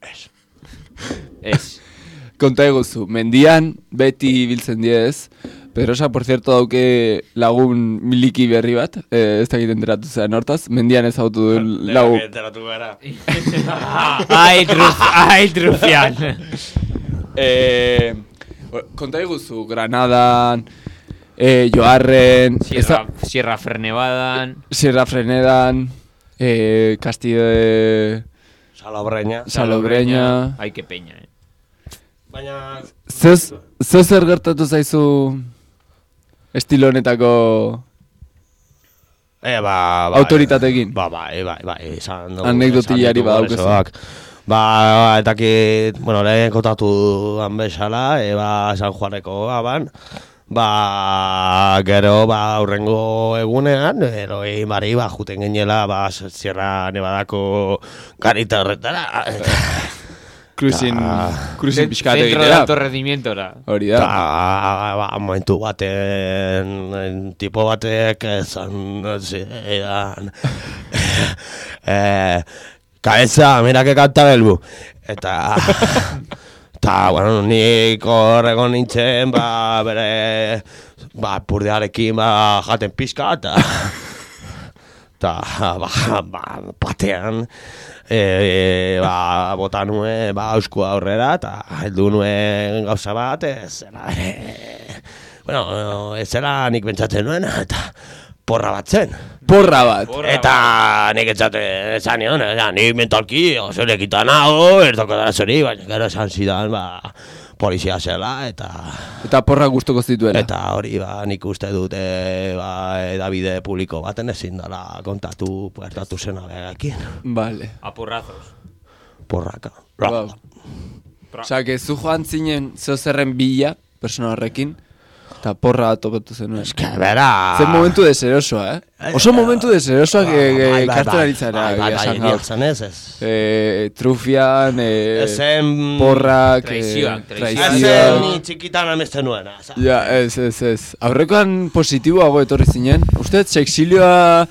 Ez. Ez. konta eguzu, mendian beti biltzen diez, Pedrosa, por cierto, dauke lagun miliki berri bat, eh, ez dakit enteratu zean hortaz, mendian ez autu du lagun. Enteratu gara. Ai, truf, ai, trufian. Eh, konta eguzu, Granadan, eh, Joarren, Sierra, Sierra Fernebadan. Sierra Frenedan, eh, Castillo de Salobreña. Salobreña. Ai, que peña, eh. Baina... Zez, zez zer gertatu zaizu estilo honetako E, ba, ba, autoritatekin? Ba, ba, e, ba, ba, esan dugu. Anekdotillari esan ditugu badaukazu. arazoak. Ba, ba, etakit, bueno, lehen kontatu han bezala, e, ba, San Juaneko gaban, ba, gero, ba, aurrengo egunean, ero, egin bari, ba, juten genela, ba, Sierra Nevadako garita horretara, Cruising, Ta- cruising pixkat Centro de egitera. alto rendimientora. Hori eta, da. ba, momentu baten, en, tipo batek esan, zidan, eh, kabeza, mira que canta belbu. Eta, eta, bueno, nik horrego nintzen, ba, bere, ba, purdearekin, ba, jaten pizka, eta, eta, ba, ba, batean, e, ba, bota nuen, ba, euskua aurrera, eta heldu nuen gauza bat, ez zela, e, bueno, ez zela nik pentsatzen nuen, eta porra bat zen. Porra bat. Eta nik etxaten esan nion, ja, nik mentalki oso lekitan hau, ez dokotara zori, baina gero esan zidan, ba, polizia zela, eta Eta porra gustoko zituela. eta hori, ba, nik uste dute, ba, edabide publiko baten ezin dela kontatu, puertatu zena begakin. Vale. Apurrazos. Porraka. Wow. Osa, que zu joan zinen zeo zerren bila, persona horrekin, eta porra bat topatu zenuen. Eske, bera... Zen momentu deserosoa, eh? Oso momentu deserosoa que kartzen ari zara. Bai, bai, egia bai, esan gaur. bihurtzen ez, ez. Eh, trufian, eh, Ezen... porrak, Traizioak, eh, traizioak. Ezen traizioak. ni txikitan amesten nuena. za- Ja, ez, ez, ez. Aurrekoan positiboago etorri zinen. Uste, sexilioa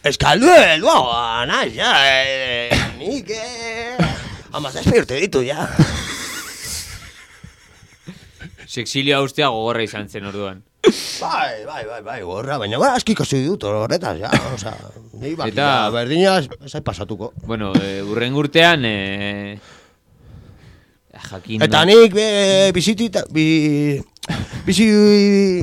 Eskaldu helduagoa, naiz, ja, eh, nik, eh, hamazazpi urte ditu, ja. Sexilioa ustea gogorra izan zen orduan. Bai, bai, bai, bai, gorra, baina gara aski ikasi dut horretaz, ja, oza, ni baki, Eta- ja, berdina ez pasatuko. Bueno, e, urren urtean, e, jakin... Eta nik be, bizitita, bi, bizi...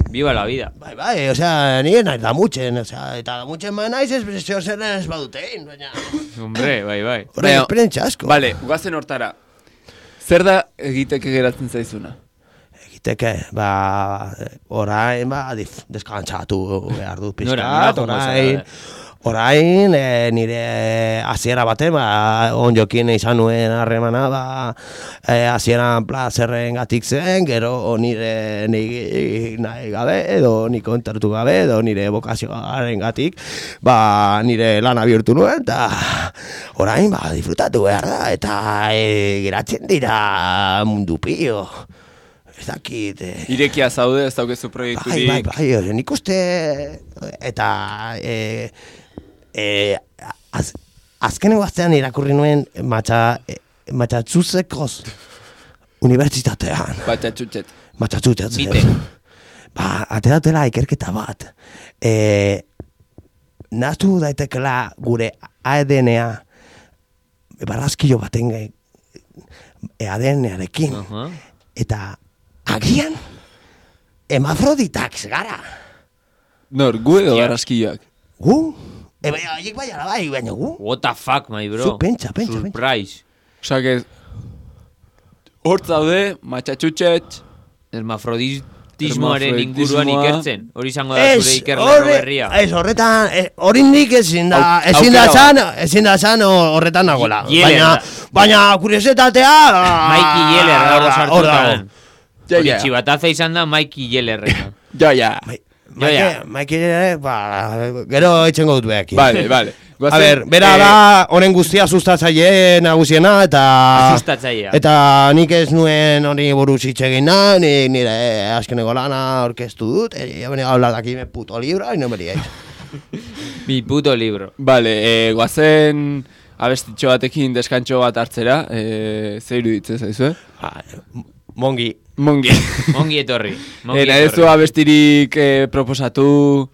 Viva la vida. Bai, bai, osea, nire naiz damutxen, osea, eta damutxen ba naiz ez zeo zer ez badutein, baina... Hombre, bai, bai. Horre, Baina- esperentza asko. Vale, guazen hortara. Zer da egiteke geratzen zaizuna? Egiteke, ba, orain, ba, dif, deskantzatu behar dut pizkat, Nora, nora joango orain, zara? orain, e, nire hasiera baten, ba, onjokin izan nuen harremana, ba, e, hasieran plazerren gatik zen, gero nire nahi, nahi gabe, edo ni kontartu gabe, edo nire bokazioaren gatik, ba, nire lana bihurtu nuen, eta orain, ba, disfrutatu behar da, eta e, geratzen dira mundu pio. Ez dakit... Eh. Irekia zaude, ez daukezu Bai, proiekturik. bai, bai, bai, nik uste... Eta... E, e, az, azkenengo aztean irakurri nuen matxa, e, matxatzuzekoz unibertsitatean. Batxatxutxet. Matxatzuteaz. Bite. Ba, ateratela ikerketa bat. E, Naztu daitekela gure A D N-a barrazkilo baten e, A D N-arekin. Aha. Eta agian hemafroditak gara. Nor, gu edo Hostia. barraskilloak? Gu? E, bai, haiek bai ala bai, baina gu? What the fuck, my bro. Zu, pentsa, pentsa, pentsa. Surprise. Osa, que... Hort zaude, matxatxutxet, Hermafroditismoaren inguruan Hermafroditismoa. ikertzen. Hori izango da zure ikerlerro berria. ez, horretan, eh, horindik ezin da, Au- ezin da aukera zan, ezin da zan horretan nagola. Ye- Baina, Yeller. baina kuriositatea... Mikey Yeller dago hor sartuta. dago. Ja, Hori ja. txibataza izan da Mikey Yellerrena. ja, ja. Bai, Ja, ja. Maike, Maike, eh, ba, gero etxengo dut behakin. Vale, vale. A ber, bera eh, da honen guztia sustatzaile nagusiena eta... Sustatzailea. Eta nik ez nuen hori buruz hitz egin nahi, nik nire eh, azkeneko lana orkestu dut, eh, ya venía a hablar de aquí me puto libro y no me liéis. Mi puto libro. Vale, eh, guazen abestitxo batekin deskantxo bat hartzera, eh, ze iruditzen zaizu, eh? Ah, mongi. Mongi. Ongi etorri. Ongi Era ez du abestirik eh, proposatu...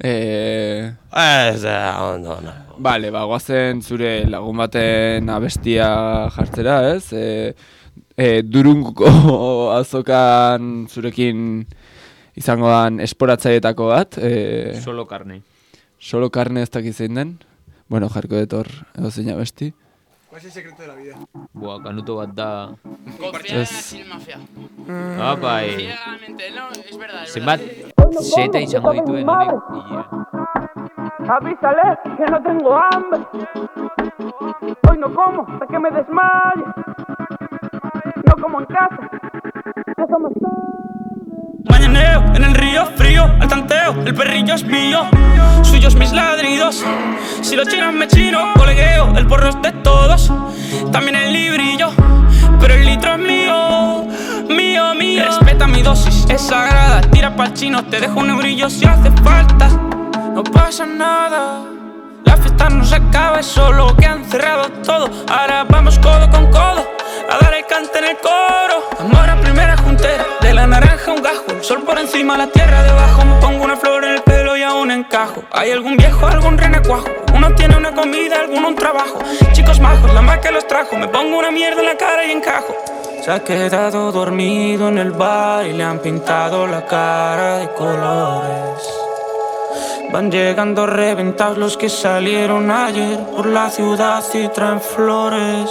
Eh, Ez, eh, ondo, no. Vale, ba, guazen zure lagun baten abestia jartzera, ez? E, e, Durunguko azokan zurekin izango dan esporatzaietako bat. E, Solo carne. solo carne ez dakiz zein den. Bueno, jarko dut hor edo zein abesti. ¿Cuál es el secreto de la vida? Buah, kanuto bat da. Confiar en Es- la silmafia. Apa, eh. Ciegamente, no, es verdad, es Zenbat, verdad. zeta izango dituen honek. Ia. Avísale que no tengo hambre. Hoy no como hasta que me desmaye. No como en casa. Déjame estar. Mañaneo en el río frío, al tanteo, el perrillo es mío, suyos mis ladridos. Si los chinos me chino, colegueo, el porro es de todos, también el librillo, pero el litro es mío, mío, mío. Respeta mi dosis, es sagrada, tira pa'l chino, te dejo un eurillo si hace falta. No pasa nada, la fiesta no se acaba, es solo que han cerrado todo. Ahora vamos codo con codo a dar el cante en el coro. Amor a primera juntera, de la naranja un gajo, el sol por encima, la tierra debajo. Me pongo una flor en el pelo y aún encajo. Hay algún viejo, algún renacuajo, uno tiene una comida, alguno un trabajo. Chicos majos, la más que los trajo, me pongo una mierda en la cara y encajo. Se ha quedado dormido en el bar y le han pintado la cara de colores. Van llegando reventados los que salieron ayer por la ciudad y traen flores.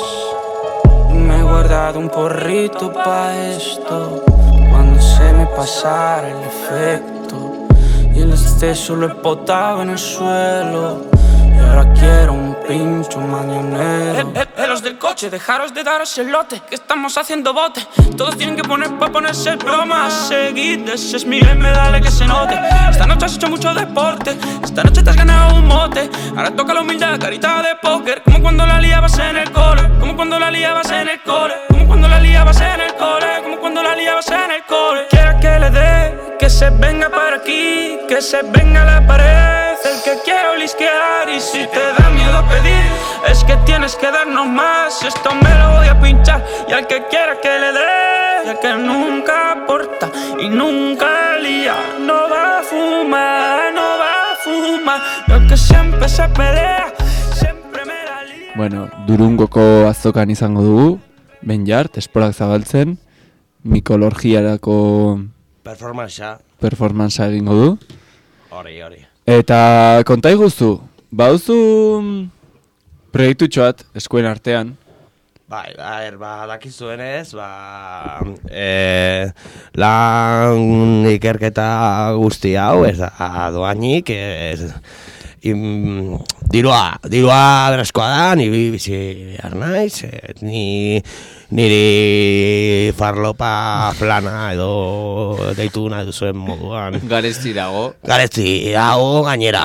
Me he guardado un porrito pa' esto, cuando se me pasara el efecto. Y el exceso lo he botado en el suelo, y ahora quiero un pincho mañanero. Eh, eh, los del coche, dejaros de daros el lote, que estamos haciendo bote. Todos tienen que poner pa' ponerse bromas seguidas. Es mi M, dale que se note. Esta noche has hecho mucho deporte, esta noche te has ganado un mote. Ahora toca la humildad, carita de póker, como cuando la liabas en el cole, como cuando la liabas en el cole, como cuando la liabas en el cole, como cuando la liabas en el cole. Quiera que le dé, que se venga para aquí, que se venga a la pared. El que quiera olisquear tienes que darnos más. Y esto me lo voy a pinchar. Y al que quiera que le dé. Y al que nunca aporta y nunca lía. No va a fumar, no va a fumar. Y al que siempre se pelea, siempre me la lía. Bueno, Durungoko azokan izango dugu, Benjart, esporak zabaltzen, mikolorgiarako Performancea. performancea egingo du. Hori, hori. Eta konta iguzu, bauzu proiektutxoat eskuen artean. Bai, bai, ba, dakizuenez, ba, e, lan ikerketa guzti hau, ez da doainik, ez, im, dirua, dirua berezkoa da, niri bizi behar naiz, et, ni, niri farlopa plana edo deitu nahi duzuen moduan. Garesti dago. Garesti dago, gainera.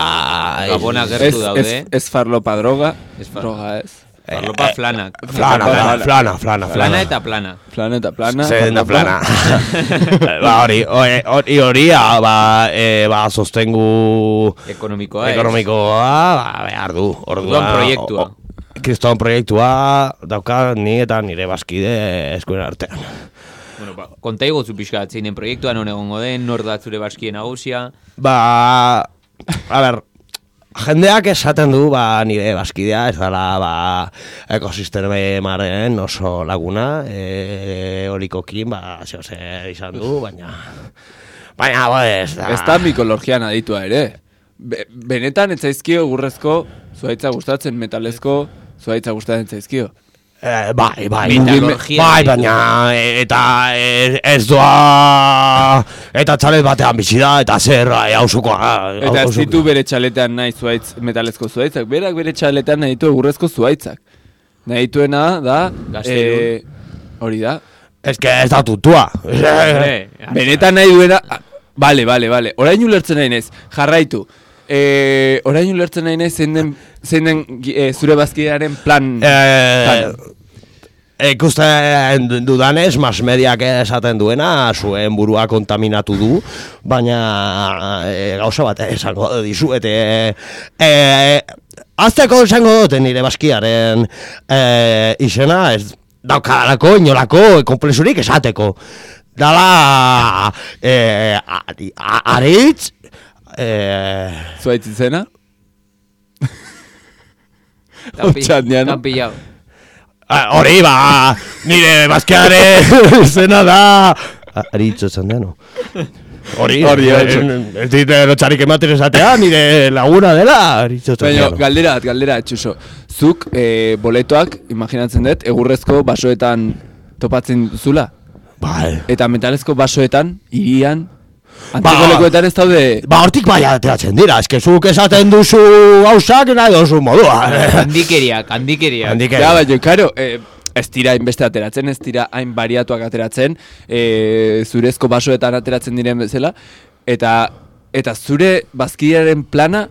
Gabona Ez, gertu daude. ez, ez farlopa droga, Ez far- droga ez. Farlopa flanak. Flana, flana, flana, flana, Flana eta plana. Plana eta plana. Zer da farlopa. plana. Ba, hori, hori, hori, hori, ah, ba, e, ba, sostengu Ekonomikoa ez. ekonomikoa, ba, behar du. Orduan proiektua. o- o- Kriston proiektua dauka ni eta nire bazkide eskuen artean. Bueno, ba, konta iguzu pixka, zeinen proiektuan non egongo den, nor da zure baskien nagusia. Ba, a ber, jendeak esaten du, ba, nire bazkidea, ez dala, ba, ekosistemaren oso laguna, e, horikokin, ba, zeo zer izan du, baina, baina, ba, ez da. Ez da mikolorgian aditua ere. Be, benetan ez zaizkio gurrezko, zuaitza gustatzen, metalezko, zuaitza gustatzen zaizkio. Eh, bai, bai, Metalurgia bai, ditu. baina, e, eta ez, ez doa, eta txalet batean bizi da, eta zer, hausukoa. Eta ez ditu bere txaletean nahi zuaitz, metalezko zuaitzak, berak bere txaletean nahi ditu egurrezko zuaitzak. Nahi dituena da, Gaztelun. eh, hori da, Ez que ez da tutua. Eh, benetan nahi duena, ah, bale, bale, bale, orain ulertzen nahi naiz, jarraitu. Eh, orain ulertzen nahi naiz, zein den, zein den eh, zure bazkidearen plan. Eh, ikusten dudanez, mas mediak esaten duena, zuen burua kontaminatu du, baina e, gauza bat esango dizuet. E, e, azteko esango dute nire baskiaren e, izena, ez daukadalako, inolako, konplexurik esateko. Dala, e, ari- a- aritz, e, Zuaitz izena? Tampi- Otxandian. Tampillau. Ah, hori ba, nire bazkeare zena da. Aritzo esan deno. Hori, Hori, hori. eh, ez dit lotxarik ematen esatea, nire laguna dela. Aritzo esan Baina, deno. galdera, bat, galdera, Txuso. Zuk, eh, boletoak, imaginatzen dut, egurrezko basoetan topatzen zula? Bai. Eta metalezko basoetan, irian, Ba- antzeko lekuetan ez daude... Ba, hortik bai ateratzen dira, eske zuk esaten duzu hausak nahi dozu modua. Handikeriak, handikeriak. Handik Ja, baina, karo, eh, ez dira hainbeste ateratzen, ez dira hain bariatuak ateratzen, eh, zurezko basoetan ateratzen diren bezala, eta eta zure bazkidearen plana,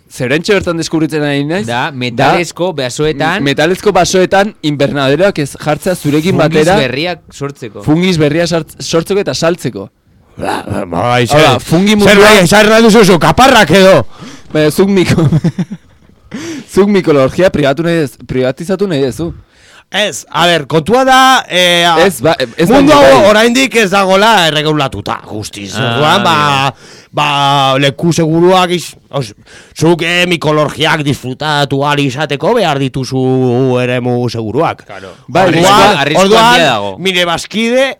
zerentxe bertan deskubritzen ari naiz? Da, metalezko basoetan metalezko basoetan invernaderoak ez jartzea zurekin fungis batera, berriak sortzeko. fungis berria sart- sortzeko eta saltzeko. Ba, bai, Hau da, fungi zer mundua- nahi, zer nahi duzu zu, kaparrak edo. Baina, zuk miko... zuk mikolorgia privatu nahi ez, privatizatu nahi dezu. Ez, a ber, kontua da, eh, a- Ez, ba, ez mundu baino hau bai. oraindik ez dagola erregulatuta, guztiz. Ah, Orduan, ba, ba, leku seguruak iz, os, zuk eh, mikolorgiak disfrutatu ali izateko behar dituzu eremu seguruak. Claro. Bai, Arriskua- arriskua handia orduan, dago. mire bazkide,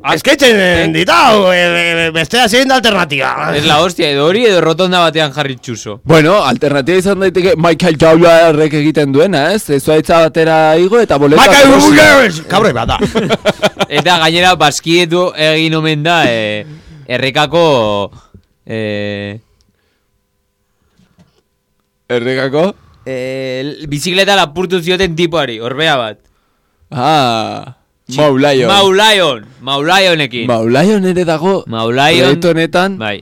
azkeitzen ditau, e, e, bestea zein da alternatiba. Ez la hostia, edo hori edo rotonda batean jarri txuso. Bueno, alternatiba izan daiteke Michael Jordanrek egiten duena, ez? Zuaitza batera igo eta boleta... Michael Burgers! Kabre bat da. Eta gainera baskietu egin omen da eh, errekako eh, Errekako? eh, bizikleta lapurtu zioten tipoari, orbea bat. Ah, Maulaio. Maulaion, Maulaionekin. Maulaion ere dago. Maulaion. Proiektu honetan. Bai,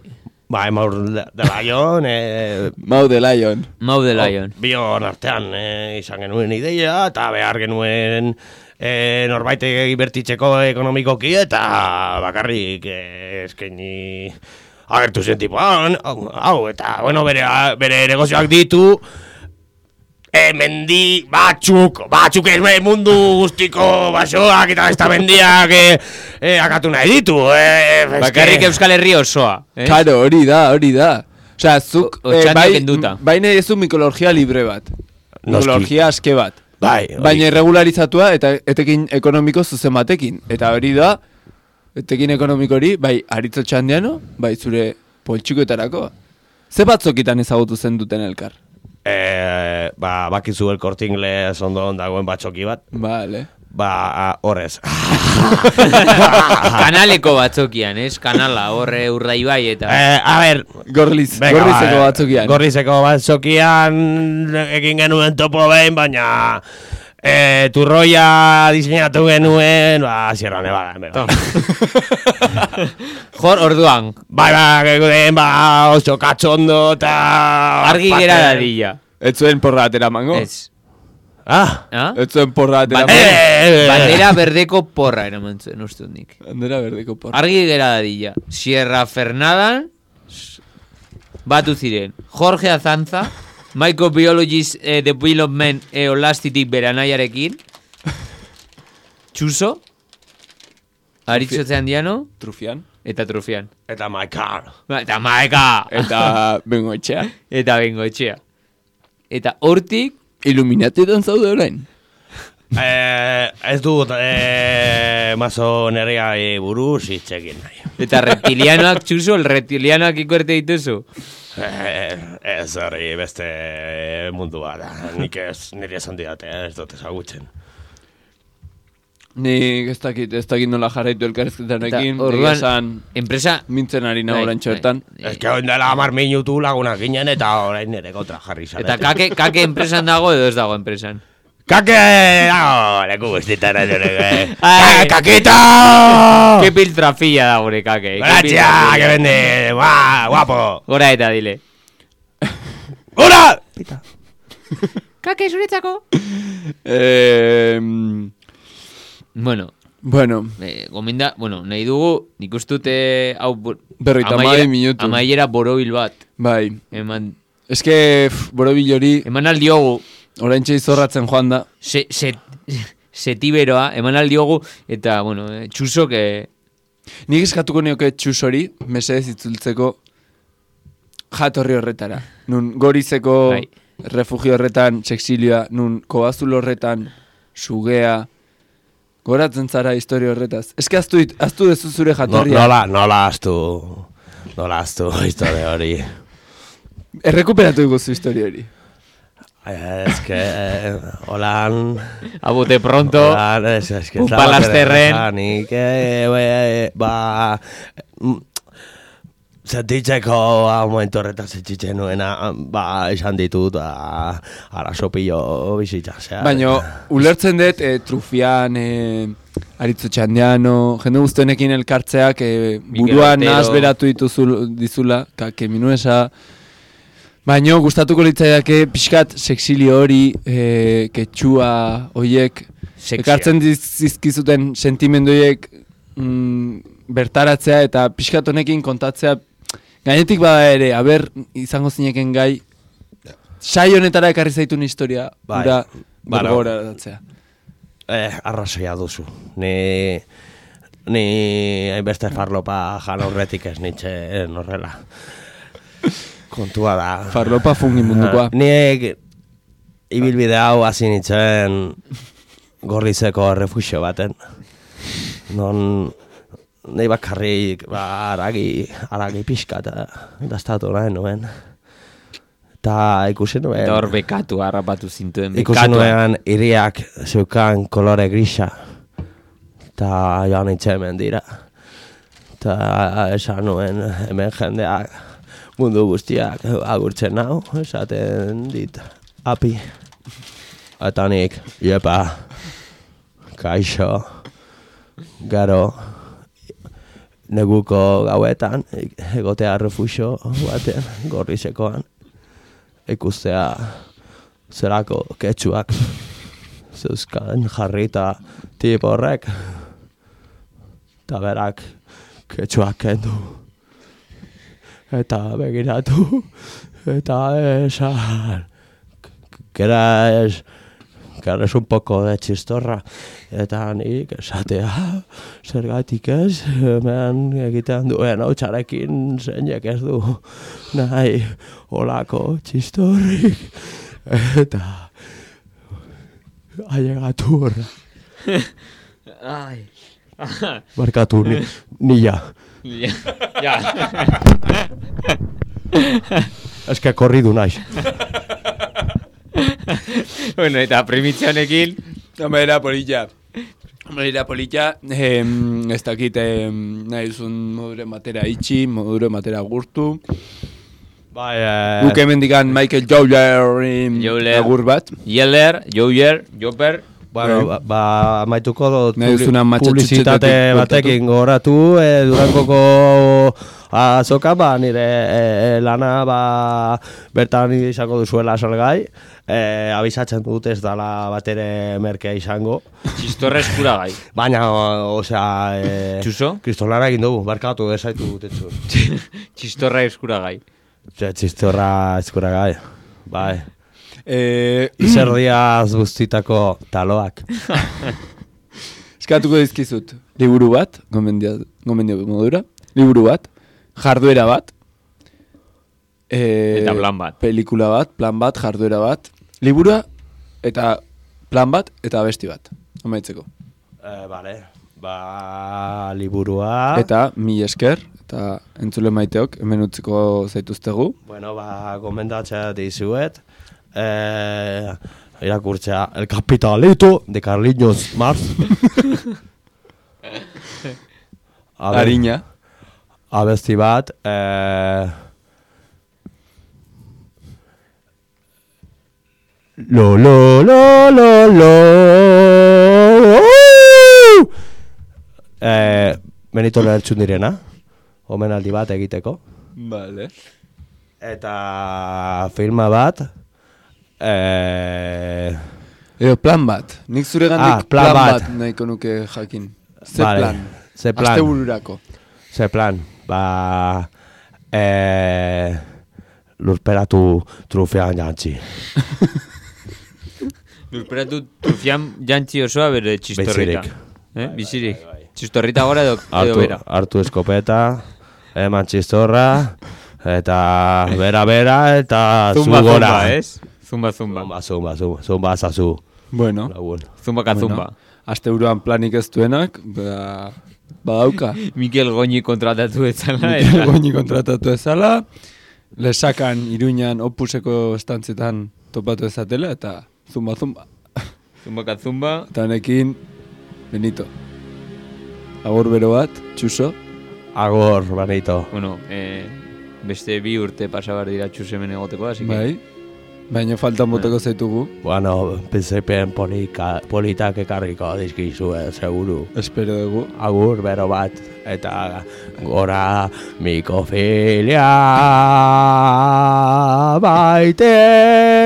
Ba, emaur de de Lion, eh, Mau de Lion. Mau de Lion. bion artean eh, izan genuen ideia, eta behar genuen eh, norbait ibertitzeko ekonomikoki, eta bakarrik eh, eskaini agertu zen tipo, hau, hau, eta, bueno, bere, bere negozioak ditu, e, mendi batzuk, batzuk ez mundu guztiko basoak eta ez da mendiak e, e, akatu nahi ditu. E, Bakarrik Euskal Herri osoa. Eh? Karo, hori da, hori da. Osea, zuk, O- eh, otxandio bai, kenduta. baina ez du mikologia libre bat. Mikologia aske bat. Bai, hori. Baina irregularizatua eta etekin ekonomiko zuzen batekin. Eta hori da, etekin ekonomiko hori, bai, Aritz Otxandiano, bai, zure poltsikoetarako. Ze batzokitan ezagutu zen duten elkar? E, ba, bakizu El Corte Inglés ondo dagoen batzoki bat. Vale. Ba, horrez. Kanaleko batzokian, ez? Kanala, horre Urdaibai eta... Eh, a ver, Gorliz, venga, gorlizeko ba, batzokian. Gorlizeko batzokian egin genuen topo behin, baina eh, turroia diseinatu genuen, ba, Sierra Nevada, bera. Jor, orduan, Bai, ba, genuen, ba, oso katxondo eta... argi gera dadila. Ez zuen porra atera mango? Ez. Ah, Ah? Ez zuen porra atera Bandera, mango? eh, bandera berdeko porra eraman zuen, uste dut nik. Bandera berdeko porra. Argi gera dadila. Sierra Fernadan, batu ziren. Jorge Azanza, Microbiologist eh, Development Eolastitik beranaiarekin. Txuso, Aritz Otxandiano, Trufian. eta Trufian. eta Maikar. Ba, Eta maeka! Eta bengoetxea. Eta bengoetxea. Eta hortik, Iluminatietan zaude orain. Eh, ez dut eh, masoneria buruz hitz egin nahi. eta reptilianoak, Txuso, el reptilianoak ikuerte dituzu. Eh, ez hori beste mundu bat da. Nik ez nire esan didate, ez dut ezagutzen. Nik ez dakit, ez dakit nola jarraitu elkarrizketarekin. Eta orduan, esan enpresa... mintzen ari nago Bai, orantxo bertan. Ez que oin dela hamar minutu lagunak ginen eta orain nire kontra jarri zarete. Eta kake, kake enpresan dago edo ez dago enpresan. Kake! Dago, leku guztitan ez dure. Ai. Kakita! Ke piltrafilla da gure kake. ke Gracia, piltrafilla. que vende, guau, guapo. Gora eta dile. ¡Hola! Kake zuretzako. Eh, Bueno, bueno, eh, gominda, bueno, nahi dugu, nik ustute hau... bo- Berrogeita hamabi amaiera- minutu. Amaiera borobil bat. bai. Eman, Ez que, pff, borobil hori, eman aldiogu, oraintxe izorratzen joan da. se, se, setiberoa, eman aldiogu, eta, bueno, eh, Txuso, que... Nik eskatuko nioke txus hori, mesedez itzultzeko jatorri horretara. Nun gorizeko Bai. refugio horretan, sexilioa, nun kobazul horretan, sugea, goratzen zara historia horretaz. Ez que aztu, dit- aztu dezu zure No, jatorria. nola, nola astu, nola astu historia hori. Errekuperatu iguzu historia hori. Ez que, eh, holan... Abote pronto, Holan, ez, ez que... Un palasterren. Nik, eh, eh, ba... mm, Sentitzeko a momentu horretan sentitzen nuena, ba, esan ditut, ba, arazo pilo bizitza, zea. Baina, ulertzen dut, e, Trufian, e, Aritz Otxandiano, jende guztienekin elkartzeak, e, buruan Otero. nahaz beratu dituzul, dizula, kake minuesa. Baina, gustatuko litzaidake, pixkat, sexilio hori, e, ketxua, hoiek, Sexia. ekartzen diz- dizkizuten sentimendu horiek mm, bertaratzea eta pixkat honekin kontatzea. Gainetik bada ere, aber, izango zineken gai, sai honetara ekarri zaitun historia, Bai. ura, Bueno. bergogoraratzea. Eh, arrazoia duzu. Ni... Ni hainbeste farlopa jan aurretik ez nintzen horrela. Kontua da. Farlopa fungi mundukoa. Nik ibilbide hau hasi nintzen Gorlizeko refugio baten. Non nahi bakarrik ba, aragi, aragi pixka eta dastatu nahi nuen. Eta ikusi nuen... eta hor bekatu harrapatu zintuen. Ikusi Bekatua. nuen iriak zeukan kolore grisa. Eta joan nintzen mendira. Eta esan nuen hemen jendeak mundu guztiak agurtzen nau, esaten dit api. Eta nik, jepa, kaixo, gero, neguko gauetan, egotea refugio batean, Gorlizekoan, ikustea zelako ketxuak zeuzkan jarrita tip horrek, eta berak ketxuak kendu, eta begiratu, eta esan, que eres, que eres un poco de chistorra, eta nik esatea, zergatik ez, hemen egiten duen hautsarekin zeinek ez du nahi olako txistorrik, eta ailegatu horra. Ai. Barkatu, ni, nila. Ja. Ja. Ez que korridu naiz. Bueno, eta primitzia honekin... Home, era polilla. Home, era polilla. Eh, ez dakit eh, nahi duzun modure matera itxi, modure matera gurtu. Bai, eh... Guk hemen digan Michael Jowlerin agur bat. Yeller, Jower, Joper... Bueno, ba, ba amaituko dut publi publizitate batekin goratu, e, Durangoko azoka, ba, nire e, lana ba, bertan izango duzuela salgai, e, abisatzen dut ez dala batere merkea izango. Txistorra eskuragai. Baina, osea... E, Txuso? Kristolara egin dugu, barkatu, ezaitu dutetzu. Txistorra eskuragai. Txistorra eskuragai, bai. Eh, Izerdiaz guztitako taloak. Eskatuko dizkizut, liburu bat, gomendio, gomendio modura, liburu bat, jarduera bat, eh, eta plan bat. Pelikula bat, plan bat, jarduera bat, liburua, eta plan bat, eta abesti bat, amaitzeko. Eh, vale, ba, liburua... Eta mi esker, eta entzule maiteok, hemen utziko zaituztegu. Bueno, ba, gomendatzea dizuet, Eh, irakurtzea El Capitalito de Carliños Marx. Ariña. Abesti bat, eh, lo lo lo lo lo eh, Benito lertxun direna, omenaldi bat egiteko. Vale. Eta filma bat, Eh... Eo, plan bat. Nik zure gandik ah, plan, plan bat. bat nahiko nuke jakin. Ze vale. plan. Ze plan. Aste bururako. Ze plan. Ba... Eh... Lurperatu trufian jantzi. Lurperatu trufian jantzi osoa bere txistorrita. Eh? Bizirik. Txistorrita gora edo, edo bera. Hartu eskopeta, eman txistorra, eta bera-bera, eta zu zumba, gora. Zumba, ez? Zumba, zumba. Zumba, zumba, zumba, zumba, zazu. Bueno. Zumba ka zumba. Bueno, aste buruan planik ez duenak, ba, badauka. Mikel Goñi kontratatu ezala. Mikel Goñi kontratatu ezala. Lesakan, Iruñan, Opuseko estantzietan topatu ezatela, eta zumba, zumba. Zumba ka zumba. Eta honekin, Benito. Agor bero bat, txuso. Agor, Benito. Bueno, eh, beste bi urte pasabar dira txusemen egoteko, así que... Bai. Baina faltan boteko zaitugu. Bueno, pensepen politak ekarriko dizkizu, eh, seguru. Espero dugu. Agur, bero bat, eta gora mikofilia baite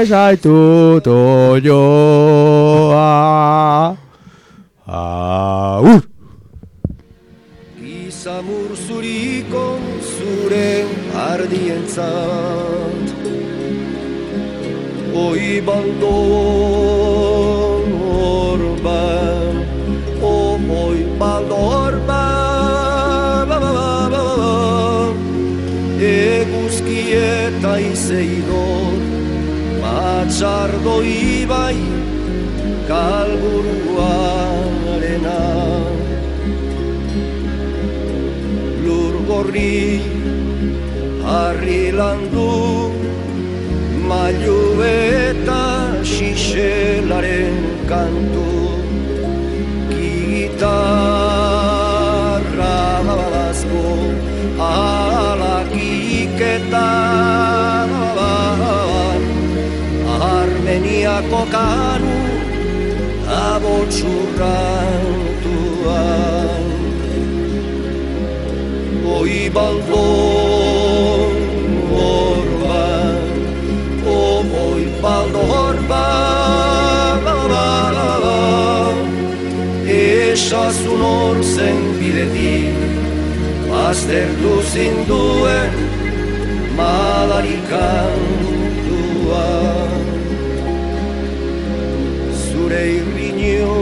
zaitut oioa. Agur! Gizamur zuriko zure ardientzat Oi baldor orban, oh oi baldor ba, ba, ba, ba, ba, ba. Eguzki eta izeidor, matxardo ibai, kalburuarena. Lur gorri, harri landu, mailu eta xixelaren kantu Gitarra babazko alakik eta Armeniako kanu abotxurrantuan Oi baldon orban Oi baldor ba, ba, ba, ba, ba. Esasun hor zen bidetik Baztertu zinduen madarikantua zure irriño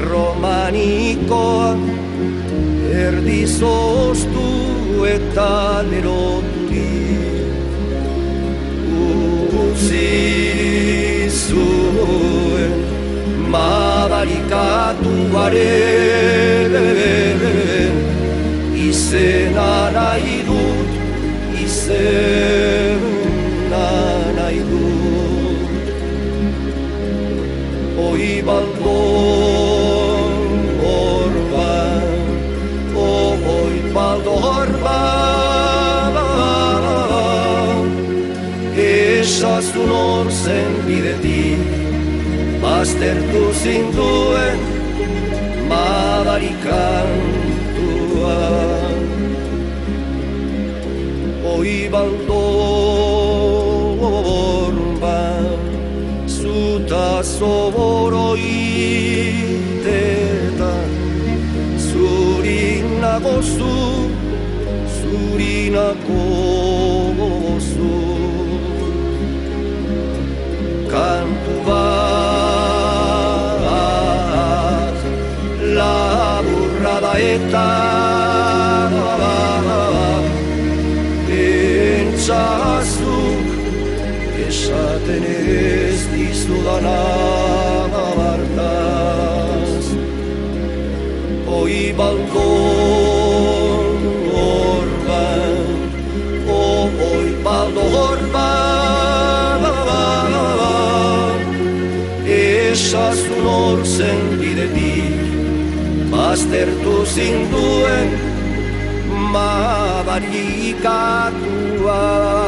romanikoa erdizoztu eta leroturik utzi zuen madarikatuaren izena nahi dut, izena nahi dut. Oi baldor orban, oi baldor orban, esazun hor zen bidetik, baztertu zinduen madarikantua. Oi baldor bat, zuta zoboroitetan, zurinako zu, zurinako zu. Kantu bat, laburra da eta pentsazuk esaten ez dizudana bartaz. Oi baldor orban, oi baldor orban, esazun hor zen bidetik, baztertu zinduen madarikatua.